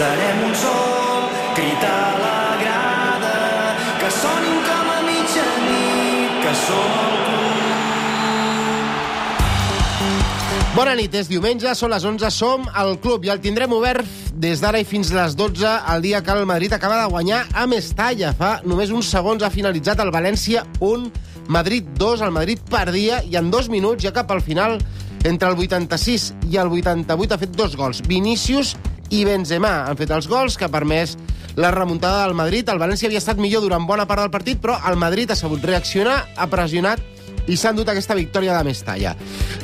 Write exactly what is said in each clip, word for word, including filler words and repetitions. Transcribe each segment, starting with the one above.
Serem un sol, crit a la grada, que sonin com a mitjanit, que som el club. Bona nit, és diumenge, són les onze, som al club i el tindrem obert des d'ara i fins les dotze, el dia que el Madrid acaba de guanyar a Mestalla. Fa només uns segons ha finalitzat el València un, Madrid dos, el Madrid perdia, i en dos minuts, ja cap al final, entre el vuitanta-sis i el vuitanta-vuit, ha fet dos gols. Vinícius i Benzema han fet els gols que ha permès la remuntada del Madrid. El València havia estat millor durant bona part del partit, però el Madrid ha sabut reaccionar, ha pressionat i s'ha endut aquesta victòria de Mestalla.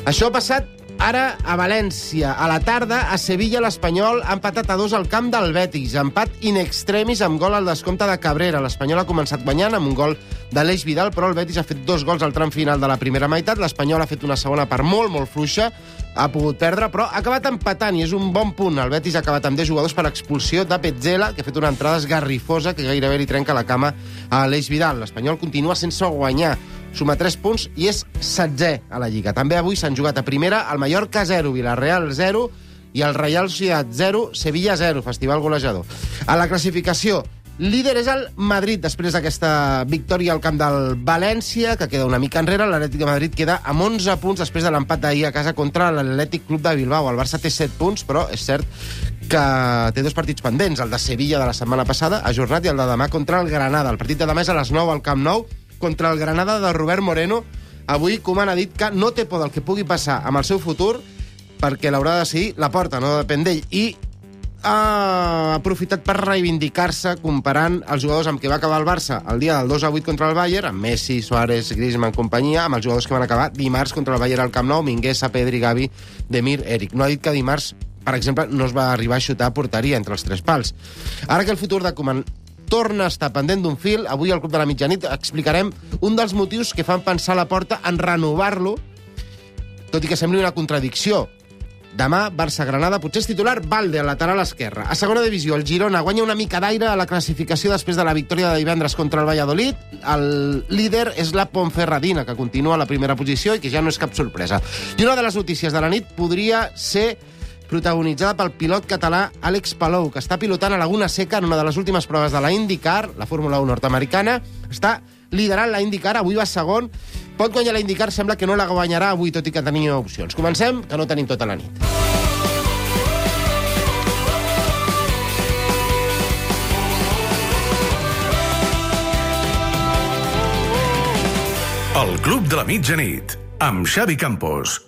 Això ha passat ara a València. A la tarda, a Sevilla, l'Espanyol ha empatat a dos al camp del Betis. Empat in extremis amb gol al descompte de Cabrera. L'Espanyol ha començat guanyant amb un gol d'Aleix Vidal, però el Betis ha fet dos gols al tram final de la primera meitat. L'Espanyol ha fet una segona part molt, molt fluixa. Ha pogut perdre, però ha acabat empatant i és un bon punt. El Betis ha acabat amb deu jugadors per expulsió de Petzela, que ha fet una entrada esgarrifosa que gairebé li trenca la cama a Aleix Vidal. L'Espanyol continua sense guanyar. Suma tres punts i és setzè a la Lliga. També avui s'han jugat a primera el Mallorca zero, Villarreal zero i el Real Sociedad zero, Sevilla zero, festival golejador. A la classificació, líder és el Madrid després d'aquesta victòria al camp del València, que queda una mica enrere. L'Atlètic de Madrid queda amb onze punts després de l'empat d'ahir a casa contra l'Atlètic Club de Bilbao. El Barça té set punts, però és cert que té dos partits pendents. El de Sevilla de la setmana passada, ajornat, i el de demà contra el Granada. El partit de demà és a les nou al Camp Nou, contra el Granada de Robert Moreno. Avui Koeman ha dit que no té por del que pugui passar amb el seu futur, perquè l'haurà de decidir la porta, no depèn d'ell. I ha aprofitat per reivindicar-se comparant els jugadors amb què va acabar el Barça el dia del dos a vuit contra el Bayern, amb Messi, Suárez, Griezmann, companyia, amb els jugadors que van acabar dimarts contra el Bayern al Camp Nou, Mingueza, Pedri, Gavi, Demir, Eric. No ha dit que dimarts, per exemple, no es va arribar a xutar a porteria entre els tres pals. Ara que el futur de Koeman torna a estar pendent d'un fil, avui al Club de la Mitjanit explicarem un dels motius que fan pensar la porta en renovar-lo, tot i que sembli una contradicció. Demà, Barça-Granada, potser és titular Valde, al lateral esquerre. A segona divisió, el Girona guanya una mica d'aire a la classificació després de la victòria de divendres contra el Valladolid. El líder és la Ponferradina, que continua a la primera posició i que ja no és cap sorpresa. I una de les notícies de la nit podria ser protagonitzada pel pilot català Àlex Palou, que està pilotant a Laguna Seca en una de les últimes proves de la IndyCar, la Fórmula u nord-americana. Està liderant la IndyCar, avui va segon. Pot guanyar la IndyCar, sembla que no la guanyarà avui, tot i que tenia opcions. Comencem, que no tenim tota la nit. El Club de la Mitjanit, amb Xavi Campos.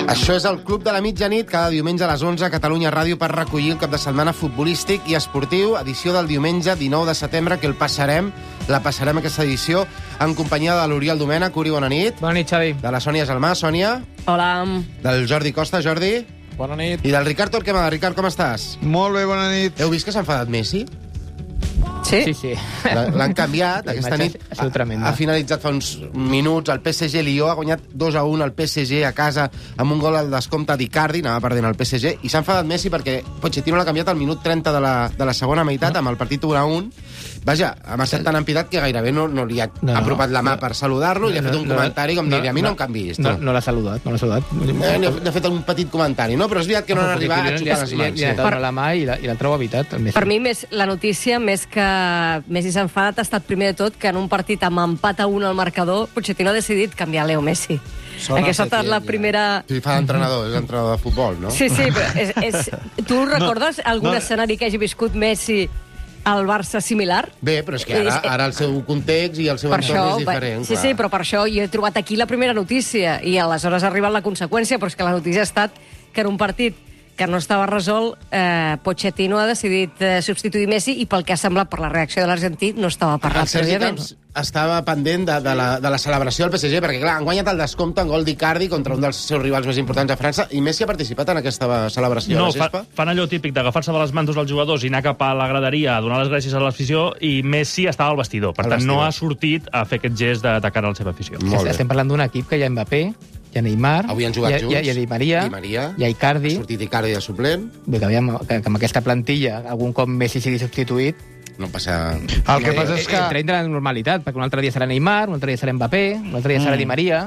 Això és el Club de la Mitjanit, cada diumenge a les onze a Catalunya Ràdio, per recollir el cap de setmana futbolístic i esportiu, edició del diumenge dinou de setembre, que el passarem, la passarem aquesta edició, en companyia de l'Oriol Domènech. Uri, bona nit. Bona nit, Xavi. De la Sònia Gelmà. Sònia. Hola. Del Jordi Costa. Jordi. Bona nit. I del Ricard Torquemada. Ricard, com estàs? Molt bé, bona nit. Heu vist que s'ha enfadat Messi? Sí? Sí, sí. L'han canviat. La Aquesta imatge nit ha sigut tremenda. ha finalitzat fa uns minuts. El P S G Lió ha guanyat dos a un al P S G a casa amb un gol al descompte d'Icardi. Anava perdent el P S G. I s'ha enfadat Messi perquè Pochettino l'ha canviat al minut trenta de la, de la segona meitat, amb el partit un a un. Vaja, ha marxat tan empidat que gairebé no, no li ha No, no, apropat la mà no. per saludar-lo. I ha fet un No, no, comentari com no, dir, a mi no, no, em canviïs. No, no l'ha saludat, no l'ha saludat. Eh, n'ha n'ha fet un petit comentari, no? Però és veritat que no han arribat a Li ha- xutar les li ha- mans. Li ha sí. donat la mà i la- i l'altre ho ha evitat. el Messi. Per mi, més, la notícia, més que Messi s'ha enfadat, ha estat primer de tot que en un partit amb empat a un al marcador, Pochettino ha decidit canviar Leo Messi. Sona Aquesta ha estat Setién, la ja. primera... Sí, fa d'entrenador, és entrenador de futbol, no? Sí, sí, però és, és... tu recordes algun no. escenari que hagi viscut Messi al Barça similar? Bé, però és que ara, ara el seu context i el seu Per entorn això, és diferent. sí, clar. sí, però per això jo he trobat aquí la primera notícia i aleshores ha arribat la conseqüència, però és que la notícia ha estat que en un partit que no estava resolt, eh, Pochettino ha decidit eh, substituir Messi i pel que ha semblat per la reacció de l'argentí no estava parlat El Sergi prèviament. Camps estava pendent de, de, la, de la celebració del P S G, perquè clar, han guanyat el descompte en gol d'Icardi contra un dels seus rivals més importants a França, i Messi ha participat en aquesta celebració No, a la fa, gespa? fan allò típic d'agafar-se de les mantos als jugadors i anar cap a la graderia a donar les gràcies a l'afició, i Messi estava al vestidor. Per Al tant, vestidor. no ha sortit a fer aquest gest de cara a la seva afició. Molt bé. Estem parlant d'un equip que hi ha Mbappé, hi ha Neymar, Avui han jugat hi ha, junts. hi ha, hi ha Di Maria, Di Maria. hi ha Icardi. Ha sortit Icardi de suplent, Vull que, aviam, que, que amb aquesta plantilla algun cop Messi sigui substituït, no passa... El que passa és que... entra dintre la normalitat, perquè un altre dia serà Neymar, un altre dia serà Mbappé, un altre dia serà Mm. Di Maria.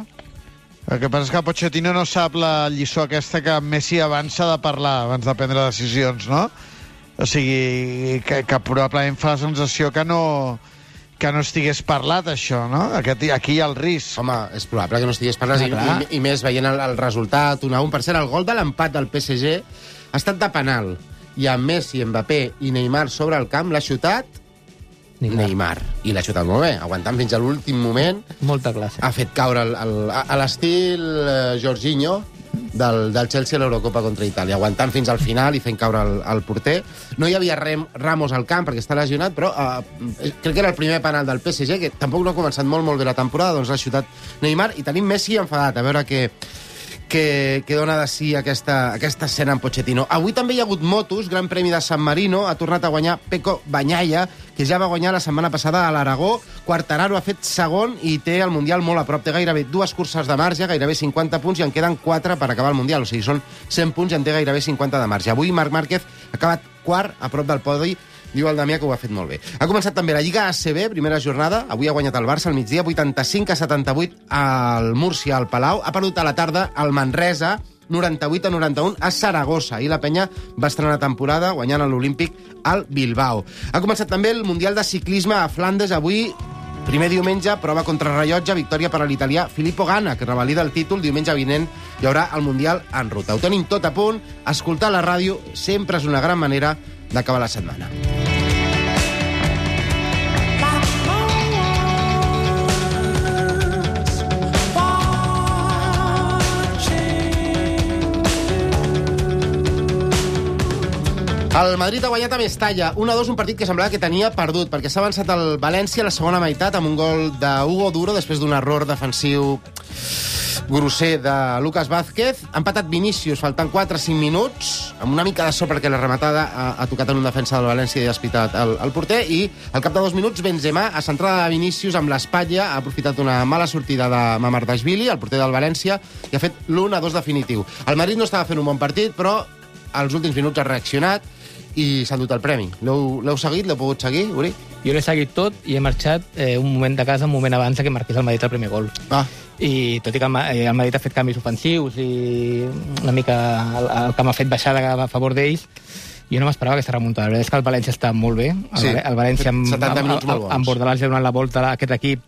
El que passa és que Pochettino no sap la lliçó aquesta que Messi abans s'ha de parlar, abans de prendre decisions, no? O sigui, que, que probablement fa la sensació que no, que no estigués parlat, això, no? Aquest, aquí hi ha el risc. Home, és probable que no estigués parlant, i, clar. i, i més veient el, el resultat, un a un. Per cert, el gol de l'empat del P S G ha estat de penal, i amb Messi, Mbappé i Neymar sobre el camp l'ha xutat Neymar. Neymar. I l'ha xutat molt bé, aguantant fins a l'últim moment. Molta classe. Ha fet caure el, el, a l'estil eh, Jorginho del, del Chelsea a l'Eurocopa contra Itàlia, aguantant fins al final i fent caure el, el porter. No hi havia Rem, Ramos al camp perquè està lesionat, però eh, crec que era el primer penal del P S G, que tampoc no ha començat molt molt bé la temporada, doncs l'ha xutat Neymar, i tenim Messi enfadat, a veure què... que, que dona de sí aquesta, aquesta escena amb Pochettino. Avui també hi ha hagut motos, Gran Premi de San Marino, ha tornat a guanyar Pecco Bagnaia, que ja va guanyar la setmana passada a l'Aragó. Quartararo ha fet segon i té el Mundial molt a prop. Té gairebé dues curses de marge, gairebé cinquanta punts, i en queden quatre per acabar el Mundial. O sigui, són cent punts i en té gairebé cinquanta de marge. Avui Marc Márquez ha acabat quart, a prop del podi. Diu el Damià que ho ha fet molt bé. Ha començat també la Lliga A C B, primera jornada. Avui ha guanyat el Barça al migdia, vuitanta-cinc a setanta-vuit al Múrcia, al Palau. Ha perdut a la tarda al Manresa, noranta-vuit a noranta-un a Saragossa. I la penya va estrenar temporada guanyant a l'Olímpic al Bilbao. Ha començat també el Mundial de Ciclisme a Flandes. Avui, primer diumenge, prova contra rellotge, victòria per a l'italià Filippo Ganna, que revalida el títol. Diumenge vinent hi haurà el Mundial en ruta. Ho tenim tot a punt. Escoltar la ràdio sempre és una gran manera d'acabar la setmana. El Madrid ha guanyat a Mestalla, un a dos, un partit que semblava que tenia perdut, perquè s'ha avançat el València a la segona meitat amb un gol d'Hugo Duro després d'un error defensiu grosser de Lucas Vázquez. Ha empatat Vinícius, faltant quatre a cinc minuts, amb una mica de sort perquè la rematada ha, ha tocat en un defensa del València i ha espitat el, el porter, i al cap de dos minuts Benzema, a centrada de Vinícius amb l'espatlla, ha aprofitat una mala sortida de Mamardashvili, el porter del València, i ha fet l'un a dos definitiu. El Madrid no estava fent un bon partit, però als últims minuts ha reaccionat i s'ha dut el premi. L'heu seguit? L'heu pogut seguir, Uri? Jo l'he seguit tot i he marxat eh, un moment de casa, un moment abans que marqués el Madrid el primer gol. Ah. I tot i que el, eh, el Madrid ha fet canvis ofensius i una mica el, el que m'ha fet baixar a favor d'ells, jo no m'esperava aquesta remuntada. La veritat és que el València està molt bé. El, Sí, el València amb, setanta minuts molt bons. amb Bordalàs ja donant la volta a aquest equip,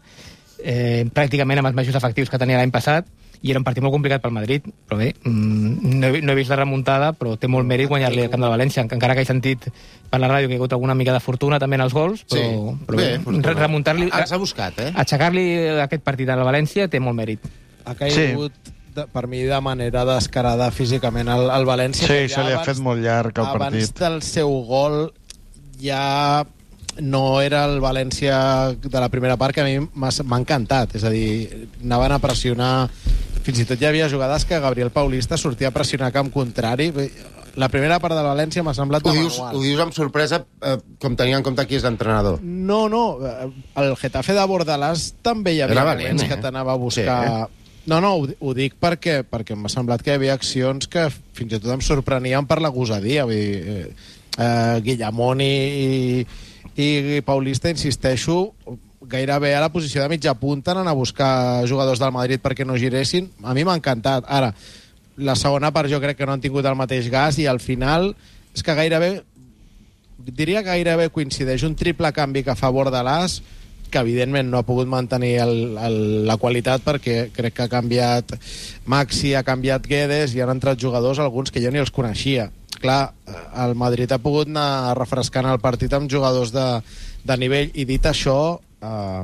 eh, pràcticament amb els mateixos efectius que tenia l'any passat, i era un partit molt complicat pel Madrid, però bé, no he, no he vist la remuntada, però té molt mèrit guanyar-li al camp del València, encara que he sentit per la ràdio que hi ha hagut alguna mica de fortuna també en els gols, però, Sí. però Bé, bé, fortuna. remuntar-li, Els ha buscat, eh? aixecar-li aquest partit al València té molt mèrit. Ha caigut, sí. de, per mi, de manera descarada físicament al, al València. Sí, que ja se li ha abans- fet molt llarg el Abans partit. del seu gol ja no era el València de la primera part, que a mi m'ha m'ha encantat. És a dir, anaven a pressionar... Fins i tot hi havia jugades que Gabriel Paulista sortia a pressionar camp contrari. La primera part de València m'ha semblat Ho de dius, manual. ho dius amb sorpresa, eh, com tenia en compte qui és l'entrenador. No, no. El Getafe de Bordalàs també hi havia Era valent, moments eh? que t'anava a buscar... Sí, No, no, ho, ho dic perquè, perquè m'ha semblat que hi havia accions que fins i tot em sorprenien per la gosadia. Vull dir, eh, eh, Guillamón i, i, i Paulista, insisteixo, gairebé a la posició de mitja punta anant a buscar jugadors del Madrid perquè no giressin. A mi m'ha encantat. Ara, la segona part jo crec que no han tingut el mateix gas i al final és que gairebé, diria que gairebé coincideix un triple canvi que fa Bordalàs, que evidentment no ha pogut mantenir el, el, la qualitat perquè crec que ha canviat Maxi, ha canviat Guedes i han entrat jugadors, alguns que jo ni els coneixia. Clar, el Madrid ha pogut anar refrescant el partit amb jugadors de, de nivell, i dit això, eh,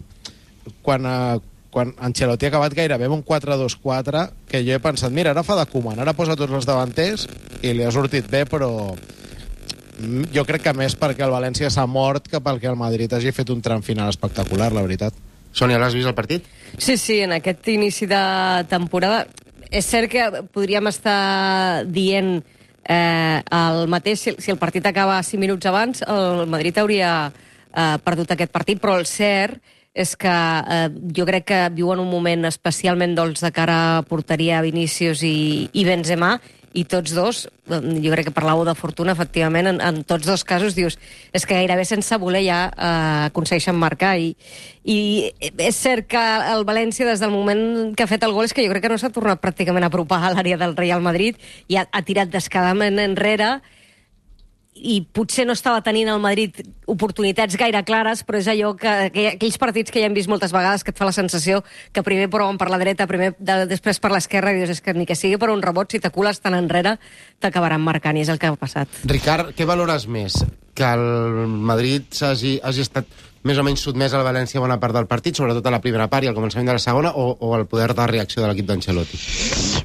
quan, eh, quan Ancelotti ha acabat gairebé amb un quatre dos quatre, que jo he pensat, mira, ara fa de Koeman, ara posa tots els davanters i li ha sortit bé, però jo crec que més perquè el València s'ha mort que perquè el Madrid hagi fet un tram final espectacular, la veritat. Sònia, l'has vist el partit? Sí, sí, en aquest inici de temporada és cert que podríem estar dient eh, el mateix si, si el partit acaba cinc minuts abans, el Madrid hauria eh, perdut aquest partit, però el cert és que eh, jo crec que viuen un moment especialment dolç de cara a porteria Vinícius i, i Benzema, i tots dos, jo crec que parlàveu de fortuna, efectivament, en, en tots dos casos dius, és que gairebé sense voler ja eh, aconsegueixen marcar, i, i és cert que el València, des del moment que ha fet el gol, és que jo crec que no s'ha tornat pràcticament a apropar a l'àrea del Real Madrid, i ha, ha tirat descaradament enrere, i potser no estava tenint el Madrid oportunitats gaire clares, però és allò que, que aquells partits que ja hem vist moltes vegades que et fa la sensació que primer proven per la dreta, primer de, després per l'esquerra, i dius, és que ni que sigui per un rebot, si t'acules tan enrere, t'acabaran marcant, i és el que ha passat. Ricard, què valores més? Que el Madrid hagi, hagi estat més o menys sotmès al València bona part del partit, sobretot a la primera part i al començament de la segona, o, o el poder de reacció de l'equip d'Ancelotti?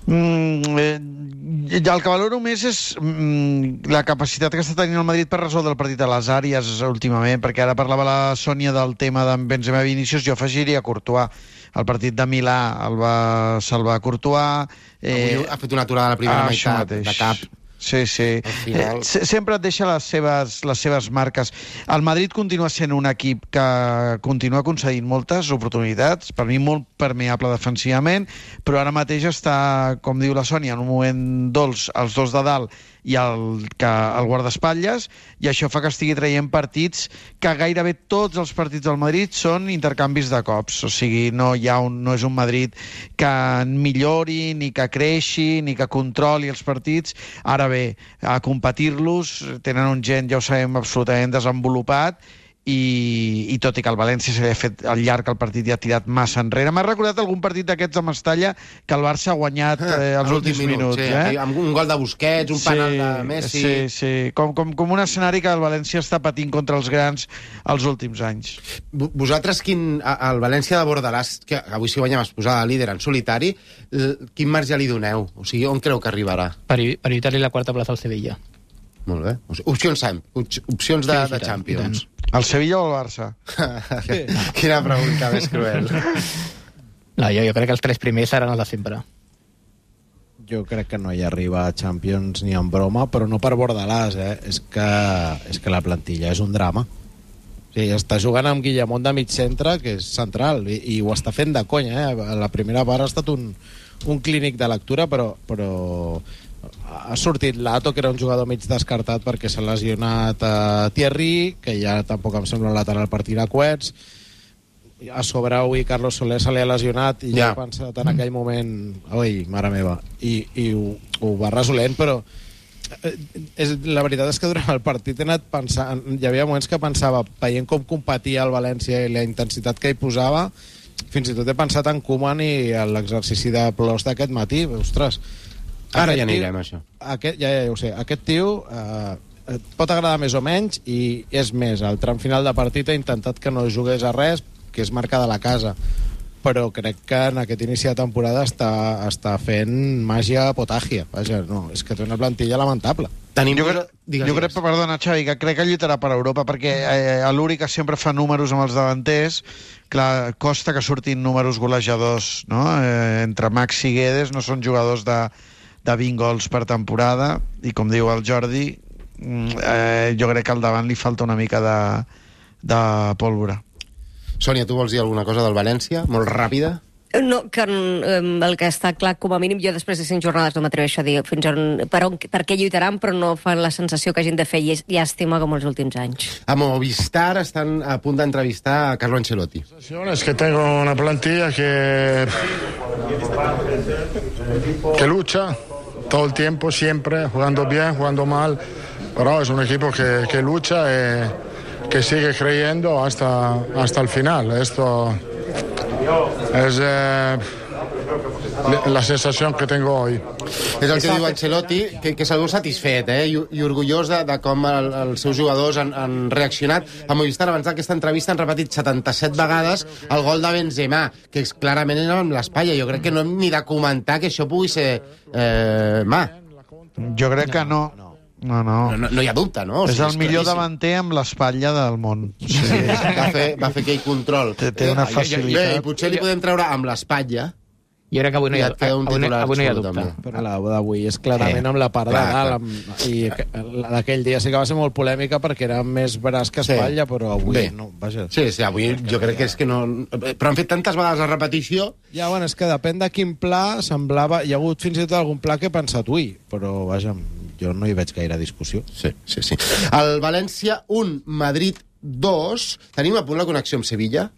Mm, eh, el que valoro més és mm, la capacitat que està tenint el Madrid per resoldre el partit a les àrees últimament, perquè ara parlava la Sònia del tema d'en Benzema i Vinícius, jo afegiria Courtois. El partit de Milà el va salvar Courtois. Eh, Avui ha fet una aturada a la primera ah, meitat de cap. Sí, sí. Final... Eh, sempre et deixa les seves, les seves marques. El Madrid continua sent un equip que continua concedint moltes oportunitats, per mi molt permeable defensivament, però ara mateix està, com diu la Sònia, en un moment dolç, els dos de dalt i el, que, el guardaespatlles, i això fa que estigui traient partits que gairebé tots els partits del Madrid són intercanvis de cops, o sigui, no, hi ha un, no és un Madrid que millori, ni que creixi, ni que controli els partits. Ara bé, a competir-los tenen un gent, ja ho sabem, absolutament desenvolupat, i, i tot i que el València s'ha fet al llarg el partit i ha tirat massa enrere. M'ha recordat algun partit d'aquests a Mestalla que el Barça ha guanyat eh, els últims minuts. Sí, eh? amb un gol de Busquets, un sí, penal de Messi... Sí, sí, com, com, com un escenari que el València està patint contra els grans els últims anys. Vosaltres, quin, al València de Bordalàs, que avui si guanyem es posava líder en solitari, quin marge li doneu? O sigui, on creu que arribarà? Per, per evitar-li la quarta plaça al Sevilla. Molt bé. Opcions, Sam. Opcions de, sí, de Champions. El Sevilla o el Barça? Quina pregunta més cruel. No, jo, jo crec que els tres primers seran els de sempre. Jo crec que no hi arriba a Champions ni en broma, però no per Bordalàs, eh? És que, és que la plantilla és un drama. O sigui, està jugant amb Guillamón de mig centre, que és central, i, i ho està fent de conya, eh? La primera part ha estat un, un clínic de lectura, però... però ha sortit Lato, que era un jugador mig descartat perquè s'ha lesionat a Thierry, que ja tampoc em sembla un lateral per tirar coets. A sobre avui Carlos Soler se li ha lesionat i ja, ja he pensat en aquell moment, oi, mare meva, i, i ho, ho va resolent, però és, la veritat és que durant el partit he anat pensant, hi havia moments que pensava, veient com competia el València i la intensitat que hi posava, fins i tot he pensat en Koeman i l'exercici de plors d'aquest matí. Ostres, ara ja anirem, això. Aquest, ja, ja ho sé. Aquest tio eh, et pot agradar més o menys, i és més, al tram final de partit ha intentat que no jugués a res, que és marca de la casa. Però crec que en aquest inici de temporada està, està fent màgia potàgia. Vaja, no, és que té una plantilla lamentable. Tenim... Jo, crec, digues, jo crec, perdona, Xavi, que crec que lluitarà per Europa, perquè eh, l'Uri, que sempre fa números amb els davanters, clar, costa que surtin números golejadors, no? Eh, entre Max i Guedes no són jugadors de de vint gols per temporada, i com diu el Jordi, eh, jo crec que al davant li falta una mica de, de pólvora. Sònia, tu vols dir alguna cosa del València? Molt ràpida? No, que el que està clar, com a mínim, jo després de cinc jornades no m'atreveixo a dir fins on, per, on, per què lluitaran, però no fan la sensació que hagin de fer llàstima com els últims anys. A Movistar estan a punt d'entrevistar a Carlo Ancelotti. Es que tengo una plantilla que que lucha todo el tiempo, siempre, jugando bien, jugando mal, pero es un equipo que, que lucha y que sigue creyendo hasta, hasta el final. Esto es eh, la sensació que tengo hoy. És el que diu Ancelotti, que, que segur satisfet, eh? I, i orgullós de, de com el, els seus jugadors han, han reaccionat. A Movistar, abans d'aquesta entrevista, han repetit setanta-set vegades el gol de Benzema, que és, clarament era amb l'espatlla. Jo crec que no hem ni de comentar que això pugui ser eh, mà. Jo crec que no. No. No, no. No, no, no hi ha dubte, no? O És sigui, el millor claríssim. davanter amb l'espatlla del món. Sí, va fer, va fer aquell control. Té, té una Bé, facilitat. i potser li podem treure amb l'espatlla. Jo crec que avui no hi ha, I et queda un avui, no- titular avui no hi ha absolut, dubte. també. Però la d'avui és clarament Eh, amb la part de clar, dalt. clar. Amb, I que- la d'aquell dia sí que va ser molt polèmica perquè era més braç que espatlla, però avui Bé. no. Vaja. Sí, sí, avui jo crec que és que no... Però han fet tantes vegades la repetició... Ja, bueno, és que depèn de quin pla semblava... Hi ha hagut fins i tot algun pla que he pensat, ui, però vaja, jo no hi veig gaire discussió. Sí, sí, sí. El València un, Madrid dos. Tenim a punt la connexió amb Sevilla?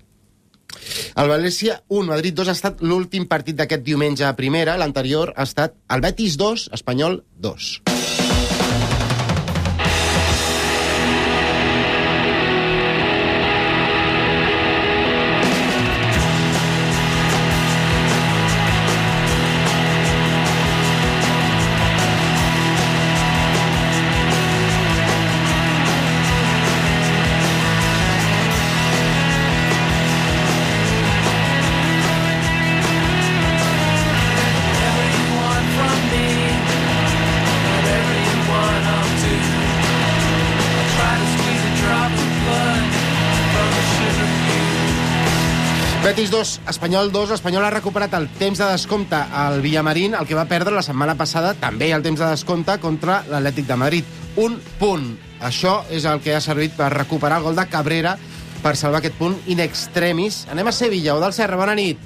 El València un, Madrid dos ha estat l'últim partit d'aquest diumenge a primera. L'anterior ha estat el Betis dos, Espanyol dos. Betis dos, Espanyol dos. L'Espanyol ha recuperat el temps de descompte al Villamarín, el que va perdre la setmana passada, també el temps de descompte contra l'Atlètic de Madrid. Un punt. Això és el que ha servit per recuperar el gol de Cabrera per salvar aquest punt in extremis. Anem a Sevilla. Odal Serra, bona nit.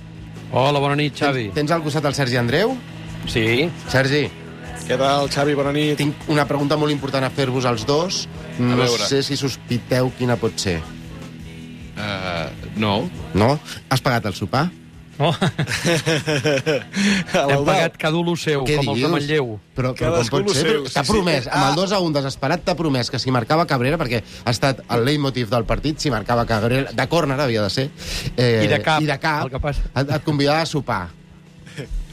Hola, bona nit, Xavi. Tens, tens al costat el Sergi Andreu? Sí. Sergi. Què tal, Xavi? Bona nit. Tinc una pregunta molt important a fer-vos als dos. No sé si sospiteu quina pot ser. Uh, no. No? Has pagat el sopar? No. Hem pagat cada un lo seu, Què com els de Manlleu. Però, però com pot ser? Però T'ha promès, amb el dos a un desesperat, t'ha promès que si marcava Cabrera, perquè ha estat el leitmotiv del partit, si marcava Cabrera, de córner havia de ser, eh, I de cap, i de cap el que passa. et, et convidava a sopar.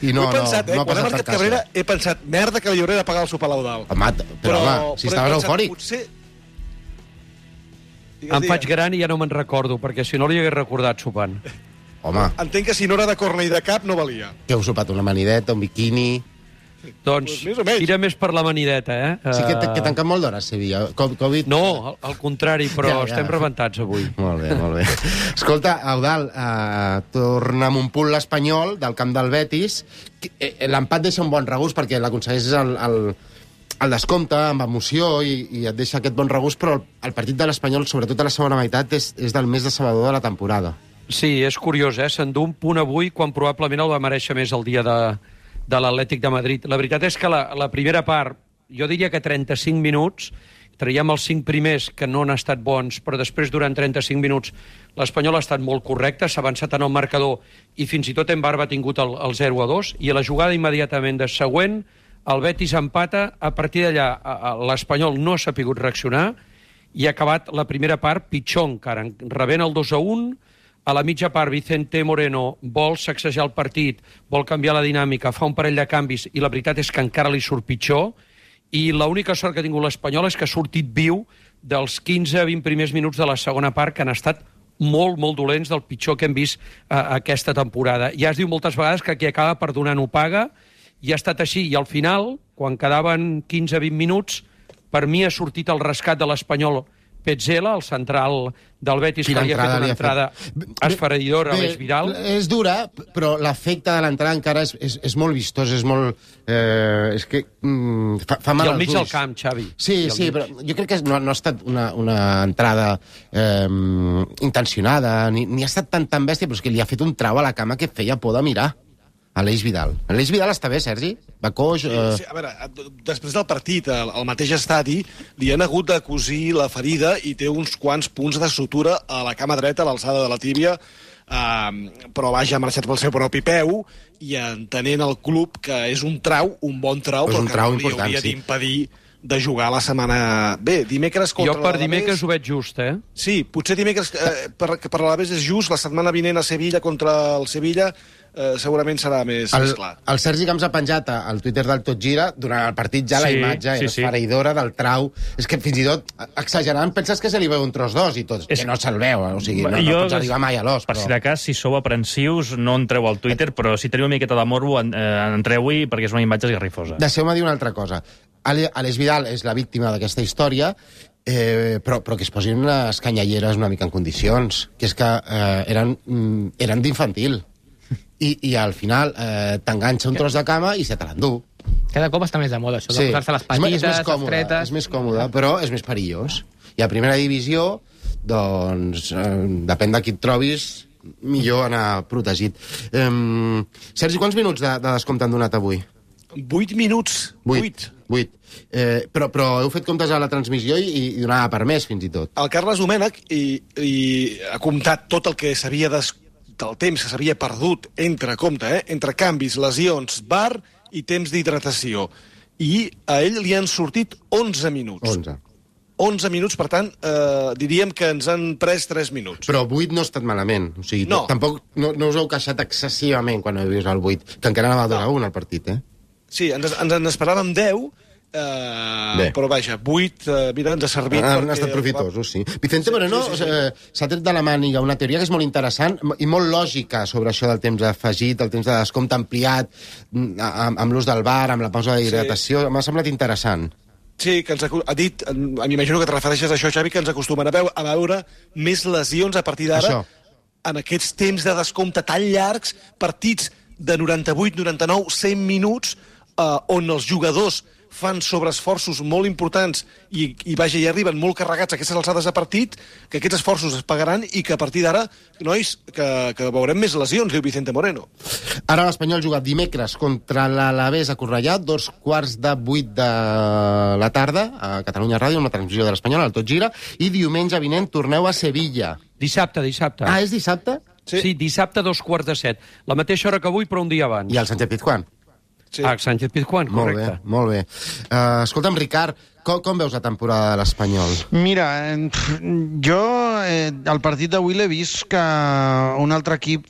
I no, Ho he pensat, no, eh? no ha Quan ha passat marcat per Cabrera, casa. he pensat, merda que li hauré de pagar el sopar a l'Eudal. Home, però, però home, si però he estaves pensat, eufòric. Potser... Digues, Em digues. faig gran i ja no me'n recordo, perquè si no li hagués recordat sopant. Home, Entenc que si no era de corna i de cap, no valia. que heu sopat una manideta, un biquini... Doncs Pues més o menys. tira més per la manideta, eh? Sí que, Eh, que tanquen molt d'hora a Sevilla. Co- Covid... No, al, al contrari, però Ja, ja. estem rebentats avui. Molt bé, molt bé. Escolta, Eudal, eh, torna amb un punt l'Espanyol del camp del Betis. Eh, L'empat deixa un bon regust perquè l'aconsegueix el, el, el descompte amb emoció i, i et deixa aquest bon regust, però el, el partit de l'Espanyol, sobretot a la segona meitat, és, és del més decebedor de la temporada. Sí, és curiós, eh? S'endú un punt avui quan probablement el va mereixer més el dia de, de l'Atlètic de Madrid. La veritat és que la, la primera part, jo diria que trenta-cinc minuts, traiem els cinc primers que no han estat bons, però després, durant trenta-cinc minuts, l'Espanyol ha estat molt correcte, s'ha avançat en el marcador i fins i tot en Barba ha tingut el, el zero a dos, i a la jugada immediatament de següent, el Betis empata, a partir d'allà a- a- l'Espanyol no s'ha pogut reaccionar i ha acabat la primera part pitjor encara, rebent el dos a un. A la mitja part, Vicente Moreno vol sacsejar el partit, vol canviar la dinàmica, fa un parell de canvis i la veritat és que encara li surt pitjor. I l'única sort que ha tingut l'Espanyol és que ha sortit viu dels quinze a vint primers minuts de la segona part, que han estat molt, molt dolents, del pitjor que hem vist eh, aquesta temporada. Ja es diu moltes vegades que qui acaba perdonant ho paga, i ha estat així. I al final, quan quedaven quinze a vint minuts, per mi ha sortit el rescat de l'Espanyol Petzela, el central del Betis, Quina que li ha fet entrada una li ha entrada fet. esfereïdora a l'Eix Vidal. És dura, però l'efecte de l'entrada encara és, és, és molt vistós, és molt... Eh, és que mm, fa, fa mal I al als mig del ulls. camp, Xavi. Sí, I al sí, mig. però jo crec que no, no ha estat una, una entrada eh, intencionada, ni, ni ha estat tan, tan bèstia, però és que li ha fet un trau a la cama que feia por de mirar a l'Eix Vidal. L'Eix Vidal està bé, Sergi? Va coix... Sí, Eh... sí, a veure, després del partit, al, al mateix estadi, li han hagut de cosir la ferida i té uns quants punts de sutura a la cama dreta, a l'alçada de la tíbia, eh, però vaja, ha marxat pel seu propi peu i entenent el club que és un trau, un bon trau, És però un que trau no li important, hauria sí. d'impedir de jugar la setmana... Bé, dimecres contra Jo per l'Alavés- dimecres ho veig just, eh? Sí, potser dimecres eh, per, per l'Alavés és just, la setmana vinent a Sevilla contra el Sevilla eh, segurament serà més, El, més clar. el Sergi Camps ha penjat a- al Twitter del Tot Gira durant el partit ja la Sí, imatge sí, és sí. esfereïdora del trau. És que fins i tot, exagerant, penses que se li veu un tros d'os i tot, És- que no se'l veu, o sigui, no, no Jo, pots arribar mai a l'os. Per Però... si de cas, si sou aprensius, no entreu al Twitter, però si teniu una miqueta de morbo, en, eh, entreu-hi perquè és una imatge esgarrifosa. Deixeu-me dir una altra cosa. Ale- Alex Vidal és la víctima d'aquesta història, eh, però, però que es posin unes canyalleres una mica en condicions, que és que eh, eren, mm, eren d'infantil. I, I al final eh, t'enganxa un tros de cama i se te l'endú. Cada cop està més de moda, això de Sí. posar-se les És me- és patilles, més les còmode, tretes... És més còmode, però és més perillós. I a primera divisió, doncs, eh, depèn de qui et trobis, millor anar protegit. Um, Sergi, quants minuts de, de descompte han donat avui? Vuit minuts. Vuit. Vuit. Eh, però, però heu fet comptes a la transmissió i, i donava per més, fins i tot. El Carles Domènech i, i ha comptat tot el que s'havia des... del temps que s'havia perdut entre, compte, eh, entre canvis, lesions, bar i temps d'hidratació. I a ell li han sortit onze minuts. onze. onze minuts, per tant, eh, diríem que ens han pres tres minuts. Però vuit no ha estat malament. O sigui, No. tampoc no, no us heu queixat excessivament quan heu vist el vuit, que encara anava a durar un al partit, eh? Sí, ens, ens en esperàvem deu, eh, però vaja, vuit, eh, mira, ens ha servit... Han perquè- estat profitosos, sí. Vicente Moreno Sí, sí, sí. eh, s'ha tret de la màniga una teoria que és molt interessant i molt lògica sobre això del temps afegit, el temps de descompte ampliat, mm, amb, amb l'ús del bar, amb la pausa d'hidratació. M'ha semblat interessant. Sí, que ens ha, ha dit, m'imagino que et refereixes a això, Xavi, que ens acostumen a veure, a veure més lesions a partir d'ara Això. en aquests temps de descompte tan llargs, partits de noranta-vuit, noranta-nou, cent minuts, eh, on els jugadors fan sobreesforços molt importants i, i vaja, hi arriben molt carregats a aquestes alçades de partit, que aquests esforços es pagaran i que a partir d'ara, nois, que, que veurem més lesions, diu Vicente Moreno. Ara l'Espanyol juga dimecres contra l'Alavés a Cornellà, dos quarts de vuit de la tarda, a Catalunya Ràdio, una transmissió de l'Espanyol, al Tot Gira, i diumenge vinent torneu a Sevilla. Dissabte, dissabte. Ah, és dissabte? Sí, sí dissabte a dos quarts de set. La mateixa hora que avui, però un dia abans. I el Sánchez Pizjuán. Sí. Ah, Sánchez Pizjuán, Molt correcte. bé, molt bé. Uh, escolta'm, Ricard, com, com veus la temporada de l'Espanyol? Mira, eh, jo eh, el partit d'avui l'he vist que un altre equip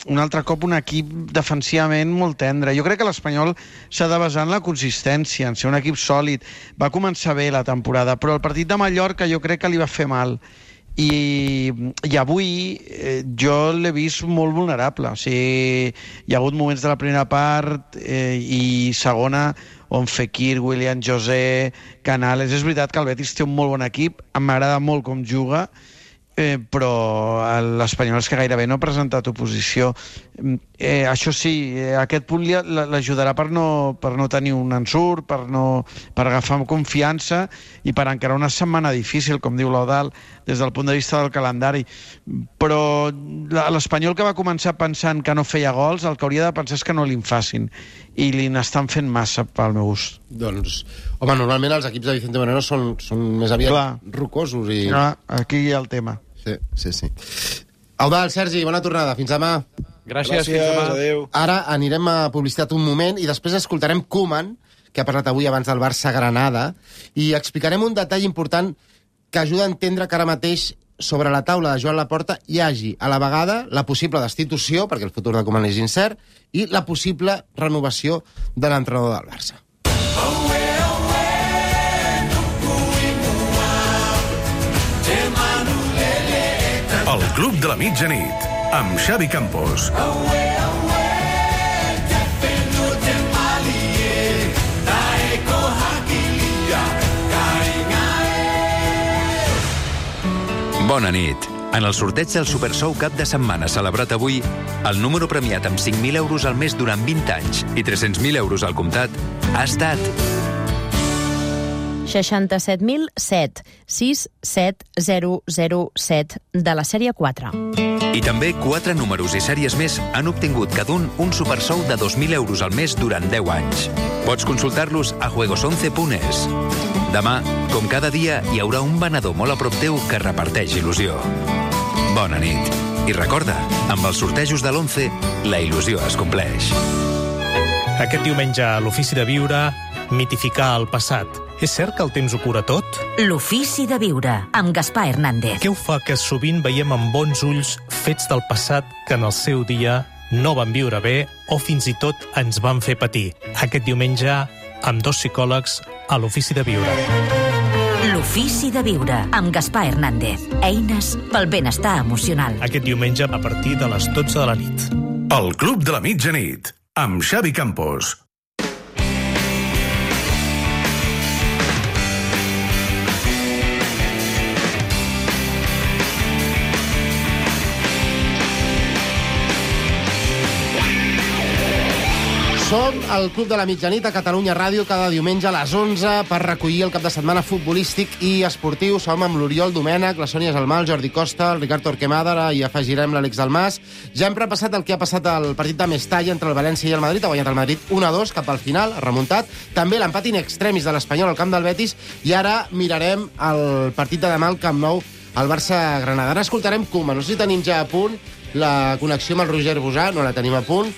un altre cop un equip defensivament molt tendre. Jo crec que l'Espanyol s'ha de basar en la consistència, en ser un equip sòlid. Va començar bé la temporada, però el partit de Mallorca jo crec que li va fer mal. I, i avui eh, jo l'he vist molt vulnerable. O sigui, hi ha hagut moments de la primera part eh, i segona on Fekir, William José, Canales... És veritat que el Betis té un molt bon equip, m'agrada molt com juga, eh, però l'Espanyol és que gairebé no ha presentat oposició. Eh, això sí, eh, aquest punt li- l'ajudarà per no, per no tenir un ensurt, per, no, per agafar confiança i per encarar una setmana difícil, com diu l'Eudal, des del punt de vista del calendari. Però la- l'Espanyol que va començar pensant que no feia gols, el que hauria de pensar és que no li'n facin, i li n'estan fent massa pel meu gust. Doncs, home, normalment els equips de Vicente Moreno són, són més aviat Clar. rocosos i... Ah, aquí hi ha el tema. Sí, sí, sí. Eudal, Sergi, bona tornada. Fins demà. Gràcies, Gràcies, fins demà. adéu. Ara anirem a publicitat un moment i després escoltarem Koeman, que ha parlat avui abans del Barça-Granada, i explicarem un detall important que ajuda a entendre que ara mateix sobre la taula de Joan Laporta hi hagi a la vegada la possible destitució, perquè el futur de Koeman és incert, i la possible renovació de l'entrenador del Barça. El Club de la Mitjanit, amb Xavi Campos. Bona nit. En el sorteig del Super Sou cap de setmana celebrat avui, el número premiat amb cinc mil euros al mes durant vint anys i tres-cents mil euros al comptat ha estat seixanta-set mil set, sis set zero zero set de la sèrie quatre. I també quatre números i sèries més han obtingut cada un un Super Sou de dos mil euros al mes durant deu anys. Pots consultar-los a juegos once punt es. Demà, com cada dia, hi haurà un venedor molt a prop teu que reparteix il·lusió. Bona nit. I recorda, amb els sortejos de l'once, la il·lusió es compleix. Aquest diumenge a l'Ofici de Viure, mitificar el passat. És cert que el temps ho cura tot? L'Ofici de Viure, amb Gaspar Hernández. Què ho fa que sovint veiem amb bons ulls fets del passat que en el seu dia no van viure bé o fins i tot ens van fer patir? Aquest diumenge, amb dos psicòlegs a l'Ofici de Viure. L'Ofici de Viure, amb Gaspar Hernández. Eines pel benestar emocional. Aquest diumenge a partir de les dotze de la nit. El Club de la Mitjanit, amb Xavi Campos. Som al Club de la Mitjanit a Catalunya Ràdio cada diumenge a les onze per recollir el cap de setmana futbolístic i esportiu. Som amb l'Oriol Domènech, la Sònia Salmal, el Jordi Costa, el Ricard Torquemada i afegirem l'Àlex Dalmas. Ja hem repassat el que ha passat al partit de Mestalla entre el València i el Madrid. Ha guanyat el Madrid un a dos cap al final, ha remuntat. També l'empat in extremis de l'Espanyol al camp del Betis. I ara mirarem el partit de demà al Camp Nou, al Barça-Granada. Ara escoltarem Koeman. No sé si tenim ja a punt la connexió amb el Roger Bosà, no la tenim a punt,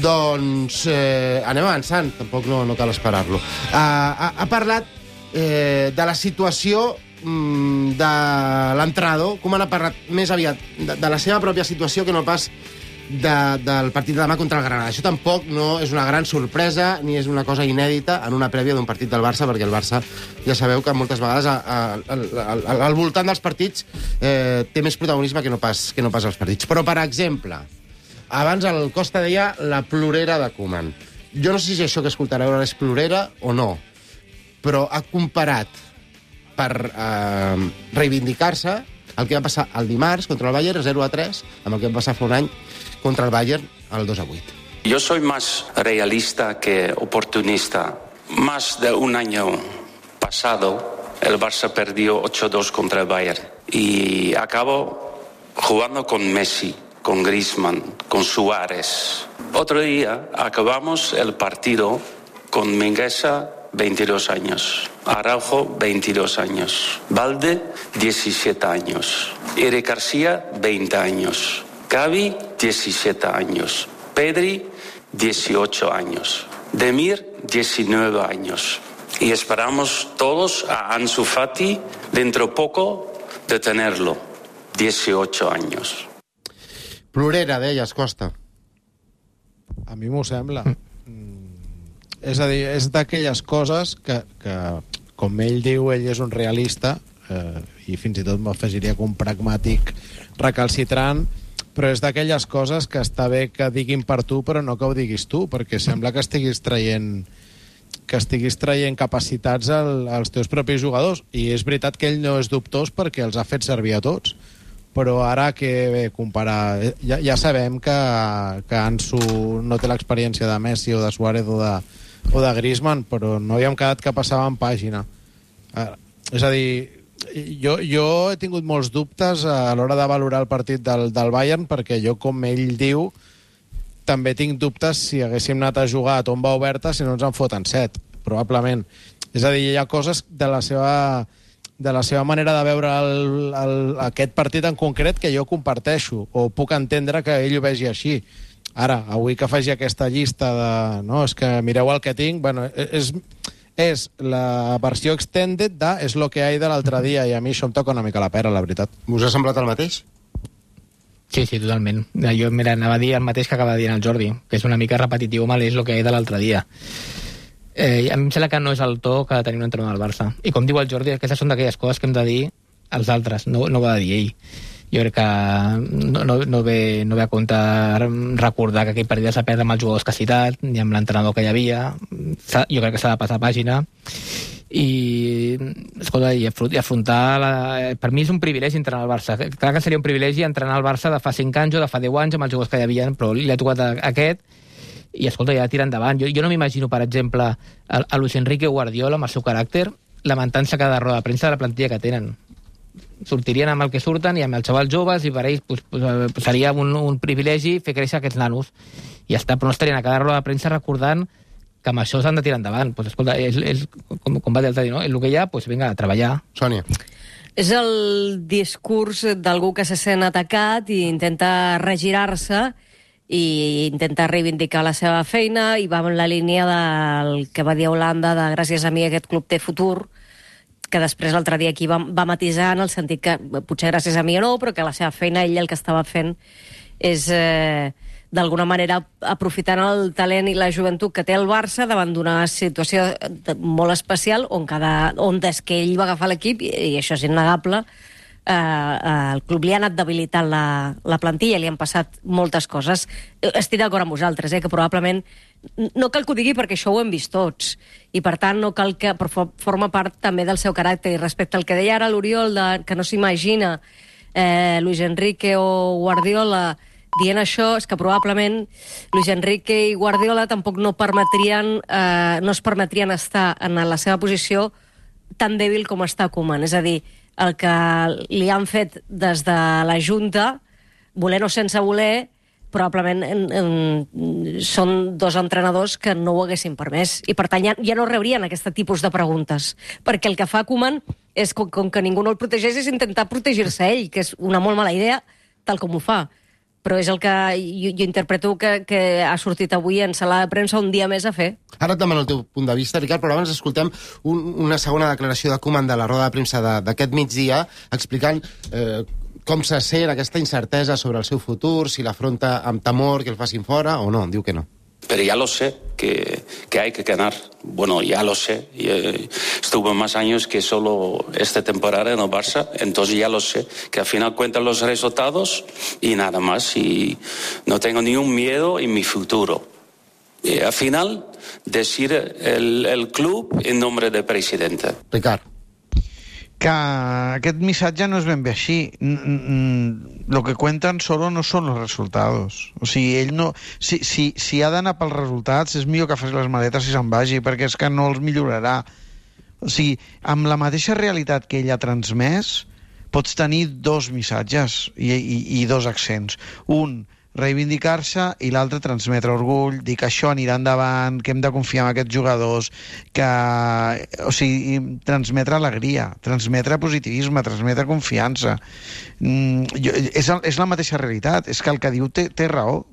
doncs eh, anem avançant, tampoc no, no cal esperar-lo. Uh, ha, ha parlat eh, de la situació mm, de l'entrenador, com ha parlat més aviat de, de la seva pròpia situació que no pas de, del partit de demà contra el Granada. Això tampoc no és una gran sorpresa ni és una cosa inèdita en una prèvia d'un partit del Barça, perquè el Barça ja sabeu que moltes vegades a, a, a, a, al voltant dels partits eh, té més protagonisme que no pas, que no pas els partits. Però, per exemple, abans el Costa deia la plorera de Koeman. Jo no sé si això que escoltareu ara és plorera o no, però ha comparat per eh, reivindicar-se el que va passar el dimarts contra el Bayern zero a tres amb el que va passar fa un any contra el Bayern al dos a vuit. Yo soy más realista que oportunista. Más de un año pasado, el Barça perdió ocho dos contra el Bayern. Y acabó jugando con Messi, con Griezmann, con Suárez. Otro día acabamos el partido con Mingueza, veintidós años. Araujo, veintidós años. Valde, diecisiete años. Eric García, veinte años. Gavi, diecisiete años. Pedri, dieciocho años. Demir, diecinueve años. Y esperamos todos a Ansu Fati dentro poco de tenerlo. dieciocho años. Plorera, deies, Costa. A mi m'ho sembla. Mm. És a dir, és d'aquelles coses que, que, com ell diu, ell és un realista, eh, i fins i tot m'afegiria que un pragmàtic recalcitrant, però és d'aquelles coses que està bé que diguin per tu, però no que ho diguis tu, perquè sembla que estiguis traient que estiguis traient capacitats al, als teus propis jugadors. I és veritat que ell no és dubtós perquè els ha fet servir a tots. Però ara que bé, comparar... Ja, ja sabem que, que Ansu no té l'experiència de Messi o de Suárez o de, o de Griezmann, però no hi hem quedat que passaven pàgina. Eh, és a dir, jo, jo he tingut molts dubtes a l'hora de valorar el partit del, del Bayern, perquè jo, com ell diu, també tinc dubtes si haguéssim anat a jugar a tomba oberta si no ens en foten set, probablement. És a dir, hi ha coses de la seva... de la seva manera de veure el, el, aquest partit en concret que jo comparteixo, o puc entendre que ell ho vegi així. Ara, avui que faci aquesta llista de... No, és que mireu el que tinc... Bueno, és, és la versió extended de és lo que hay de l'altre dia, i a mi això em toca una mica la pera, la veritat. Us ha semblat el mateix? Sí, sí, totalment. Jo mira, anava a dir el mateix que acaba de dir el Jordi, que és una mica repetitiu, mal és lo que hay de l'altre dia. Eh, a mi em sembla que no és el to que ha de tenir un entrenador del Barça. I com diu el Jordi, aquestes són d'aquelles coses que hem de dir als altres, no, no ho ha de dir ell. Jo crec que no, no, no, ve, no ve a compte recordar que aquell partit s'ha perdre amb els jugadors que ha citat, ni amb l'entrenador que hi havia. Jo crec que s'ha de passar pàgina. I, escolta, i afrontar... La... Per mi és un privilegi entrenar al Barça. Clar que seria un privilegi entrenar al Barça de fa cinc anys o de fa deu anys amb els jugadors que hi havia, però li ha tocat a aquest. I, escolta, ja tira endavant. Jo, jo no m'imagino, per exemple, a, a Luis Enrique Guardiola, amb el seu caràcter, lamentant-se cada roda de premsa de la plantilla que tenen. Sortirien amb el que surten i amb els xavals joves, i per ells pues, pues, seria un, un privilegi fer créixer aquests nanos. I ja està, però no estarien a cada roda de premsa recordant que amb això s'han de tirar endavant. Pues, escolta, és, és, com, com va dir el Tadi, no? El que hi ha, pues, vinga, a treballar. Sònia. És el discurs d'algú que se sent atacat i intenta regirar-se i intenta reivindicar la seva feina, i va en la línia del que va dir Holanda de gràcies a mi aquest club té futur, que després l'altre dia aquí va, va matisar en el sentit que potser gràcies a mi o no, però que la seva feina, ell el que estava fent és eh, d'alguna manera aprofitant el talent i la joventut que té el Barça davant d'una situació molt especial on, cada, on des que ell va agafar l'equip, i, i això és innegable, Uh, uh, el club li ha anat debilitant la, la plantilla, li han passat moltes coses. Estic d'acord amb vosaltres, eh, que probablement no cal que ho digui perquè això ho hem vist tots, i per tant no cal que, però forma part també del seu caràcter. I respecte al que deia ara l'Oriol, de, que no s'imagina eh, Luis Enrique o Guardiola dient això és que probablement Luis Enrique i Guardiola tampoc no permetrien, eh, no es permetrien estar en la seva posició tan dèbil com està Koeman. És a dir, el que li han fet des de la Junta, voler o sense voler, probablement en, en, són dos entrenadors que no ho haguessin permès. I, per tant, ja, ja no rebrien aquest tipus de preguntes. Perquè el que fa Koeman és, com, com que ningú no el protegeix, és intentar protegir-se ell, que és una molt mala idea, tal com ho fa. Però és el que jo, jo interpreto que, que ha sortit avui en sala de premsa un dia més a fer. Ara et demano el teu punt de vista, Ricard, però abans escoltem un, una segona declaració de Koeman de la roda de premsa d'aquest migdia, explicant eh, com se sent aquesta incertesa sobre el seu futur, si l'afronta amb temor que el facin fora o no. Diu que no. Pero ya lo sé, que, que hay que ganar. Bueno, ya lo sé. Y, eh, estuve más años que solo esta temporada en el Barça, entonces ya lo sé. Que al final cuentan los resultados y nada más. Y no tengo ningún miedo en mi futuro. Y al final, decir el, el club en nombre del presidente. Ricard. Que aquest missatge no és ben bé així. Lo que cuentan solo no són els resultados. O sigui, ell no... Si, si, si ha d'anar pels resultats, és millor que faci les maletes i se'n vagi, perquè és que no els millorarà. O sigui, amb la mateixa realitat que ell ha transmès, pots tenir dos missatges i, i, i dos accents. Un, reivindicar-se, i l'altre, transmetre orgull, dir que això anirà endavant, que hem de confiar en aquests jugadors, que, o sigui, transmetre alegria, transmetre positivisme, transmetre confiança. Mm, jo, és, és la mateixa realitat, és que el que diu té, té raó.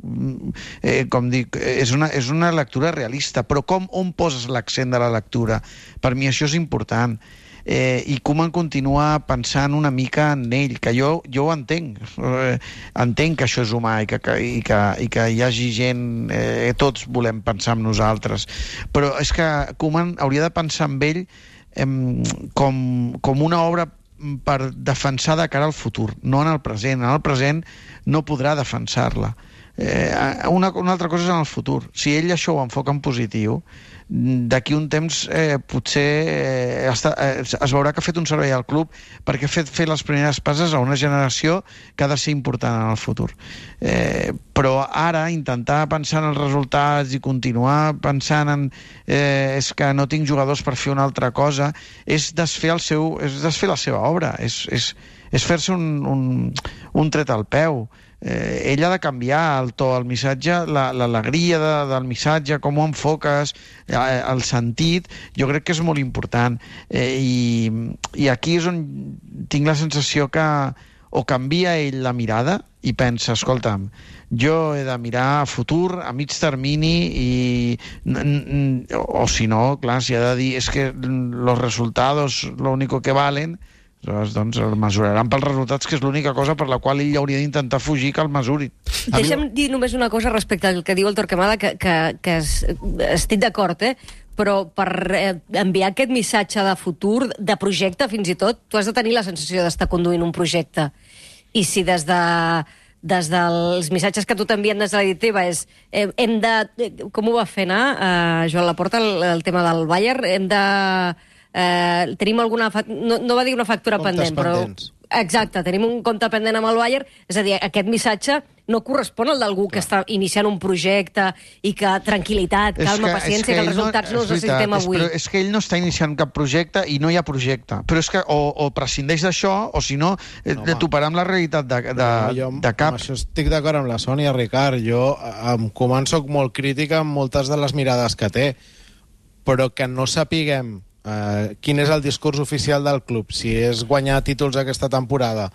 Eh, com dic, és una, és una lectura realista, però com, on poses l'accent de la lectura? Per mi això és important. Eh, i Koeman continua pensant una mica en ell, que jo, jo ho entenc eh, entenc que això és humà i que, que, i que, i que hi hagi gent eh, tots volem pensar en nosaltres, però és que Koeman hauria de pensar en ell eh, com, com una obra per defensar de cara al futur, no en el present. En el present no podrà defensar-la. Eh, una, una altra cosa és en el futur. Si ell això ho enfoca en positiu, d'aquí un temps eh, potser eh, està, eh, es veurà que ha fet un servei al club perquè ha fet fer les primeres passes a una generació que ha de ser important en el futur. Eh, però ara intentar pensar en els resultats i continuar pensant en eh, és que no tinc jugadors per fer una altra cosa, és desfer, el seu, és desfer la seva obra, és, és, és fer-se un, un, un tret al peu. Eh, ell ha de canviar el to, el missatge, l'alegria la, de, del missatge, com ho enfoques, eh, el sentit, jo crec que és molt important. Eh, i, I aquí és on tinc la sensació que o canvia ell la mirada i pensa, escolta'm, jo he de mirar a futur, a mig termini, i o si no, clar, si ha de dir és que los resultados lo único que valen, doncs el mesuraran pels resultats, que és l'única cosa per la qual ell hauria d'intentar fugir que el mesurin. Deixa'm dir només una cosa respecte al que diu el Torquemada, que, que, que es, estic d'acord, eh? Però per eh, enviar aquest missatge de futur, de projecte fins i tot, tu has de tenir la sensació d'estar conduint un projecte. I si des de des dels missatges que tu t'envien des de la directiva és eh, hem de... Com ho va fer anar, eh, Joan Laporta, el, el tema del Bayern? Hem de... Eh, tenim alguna... No, no va dir una factura Comptes pendent, però... pendents. Exacte, tenim un compte pendent amb el Bayern, és a dir, aquest missatge no correspon al d'algú que està iniciant un projecte i que tranquil·litat, calma, que, paciència, que, que els resultats no, no els necessitem avui. És, és que ell no està iniciant cap projecte i no hi ha projecte. Però és que o, o prescindeix d'això, o si no, no toparà amb la realitat de, de, no, jo, de cap. Amb això estic d'acord amb la Sònia, Ricard. Jo em començo molt crítica amb moltes de les mirades que té, però que no sapiguem Uh, quin és el discurs oficial del club, si és guanyar títols aquesta temporada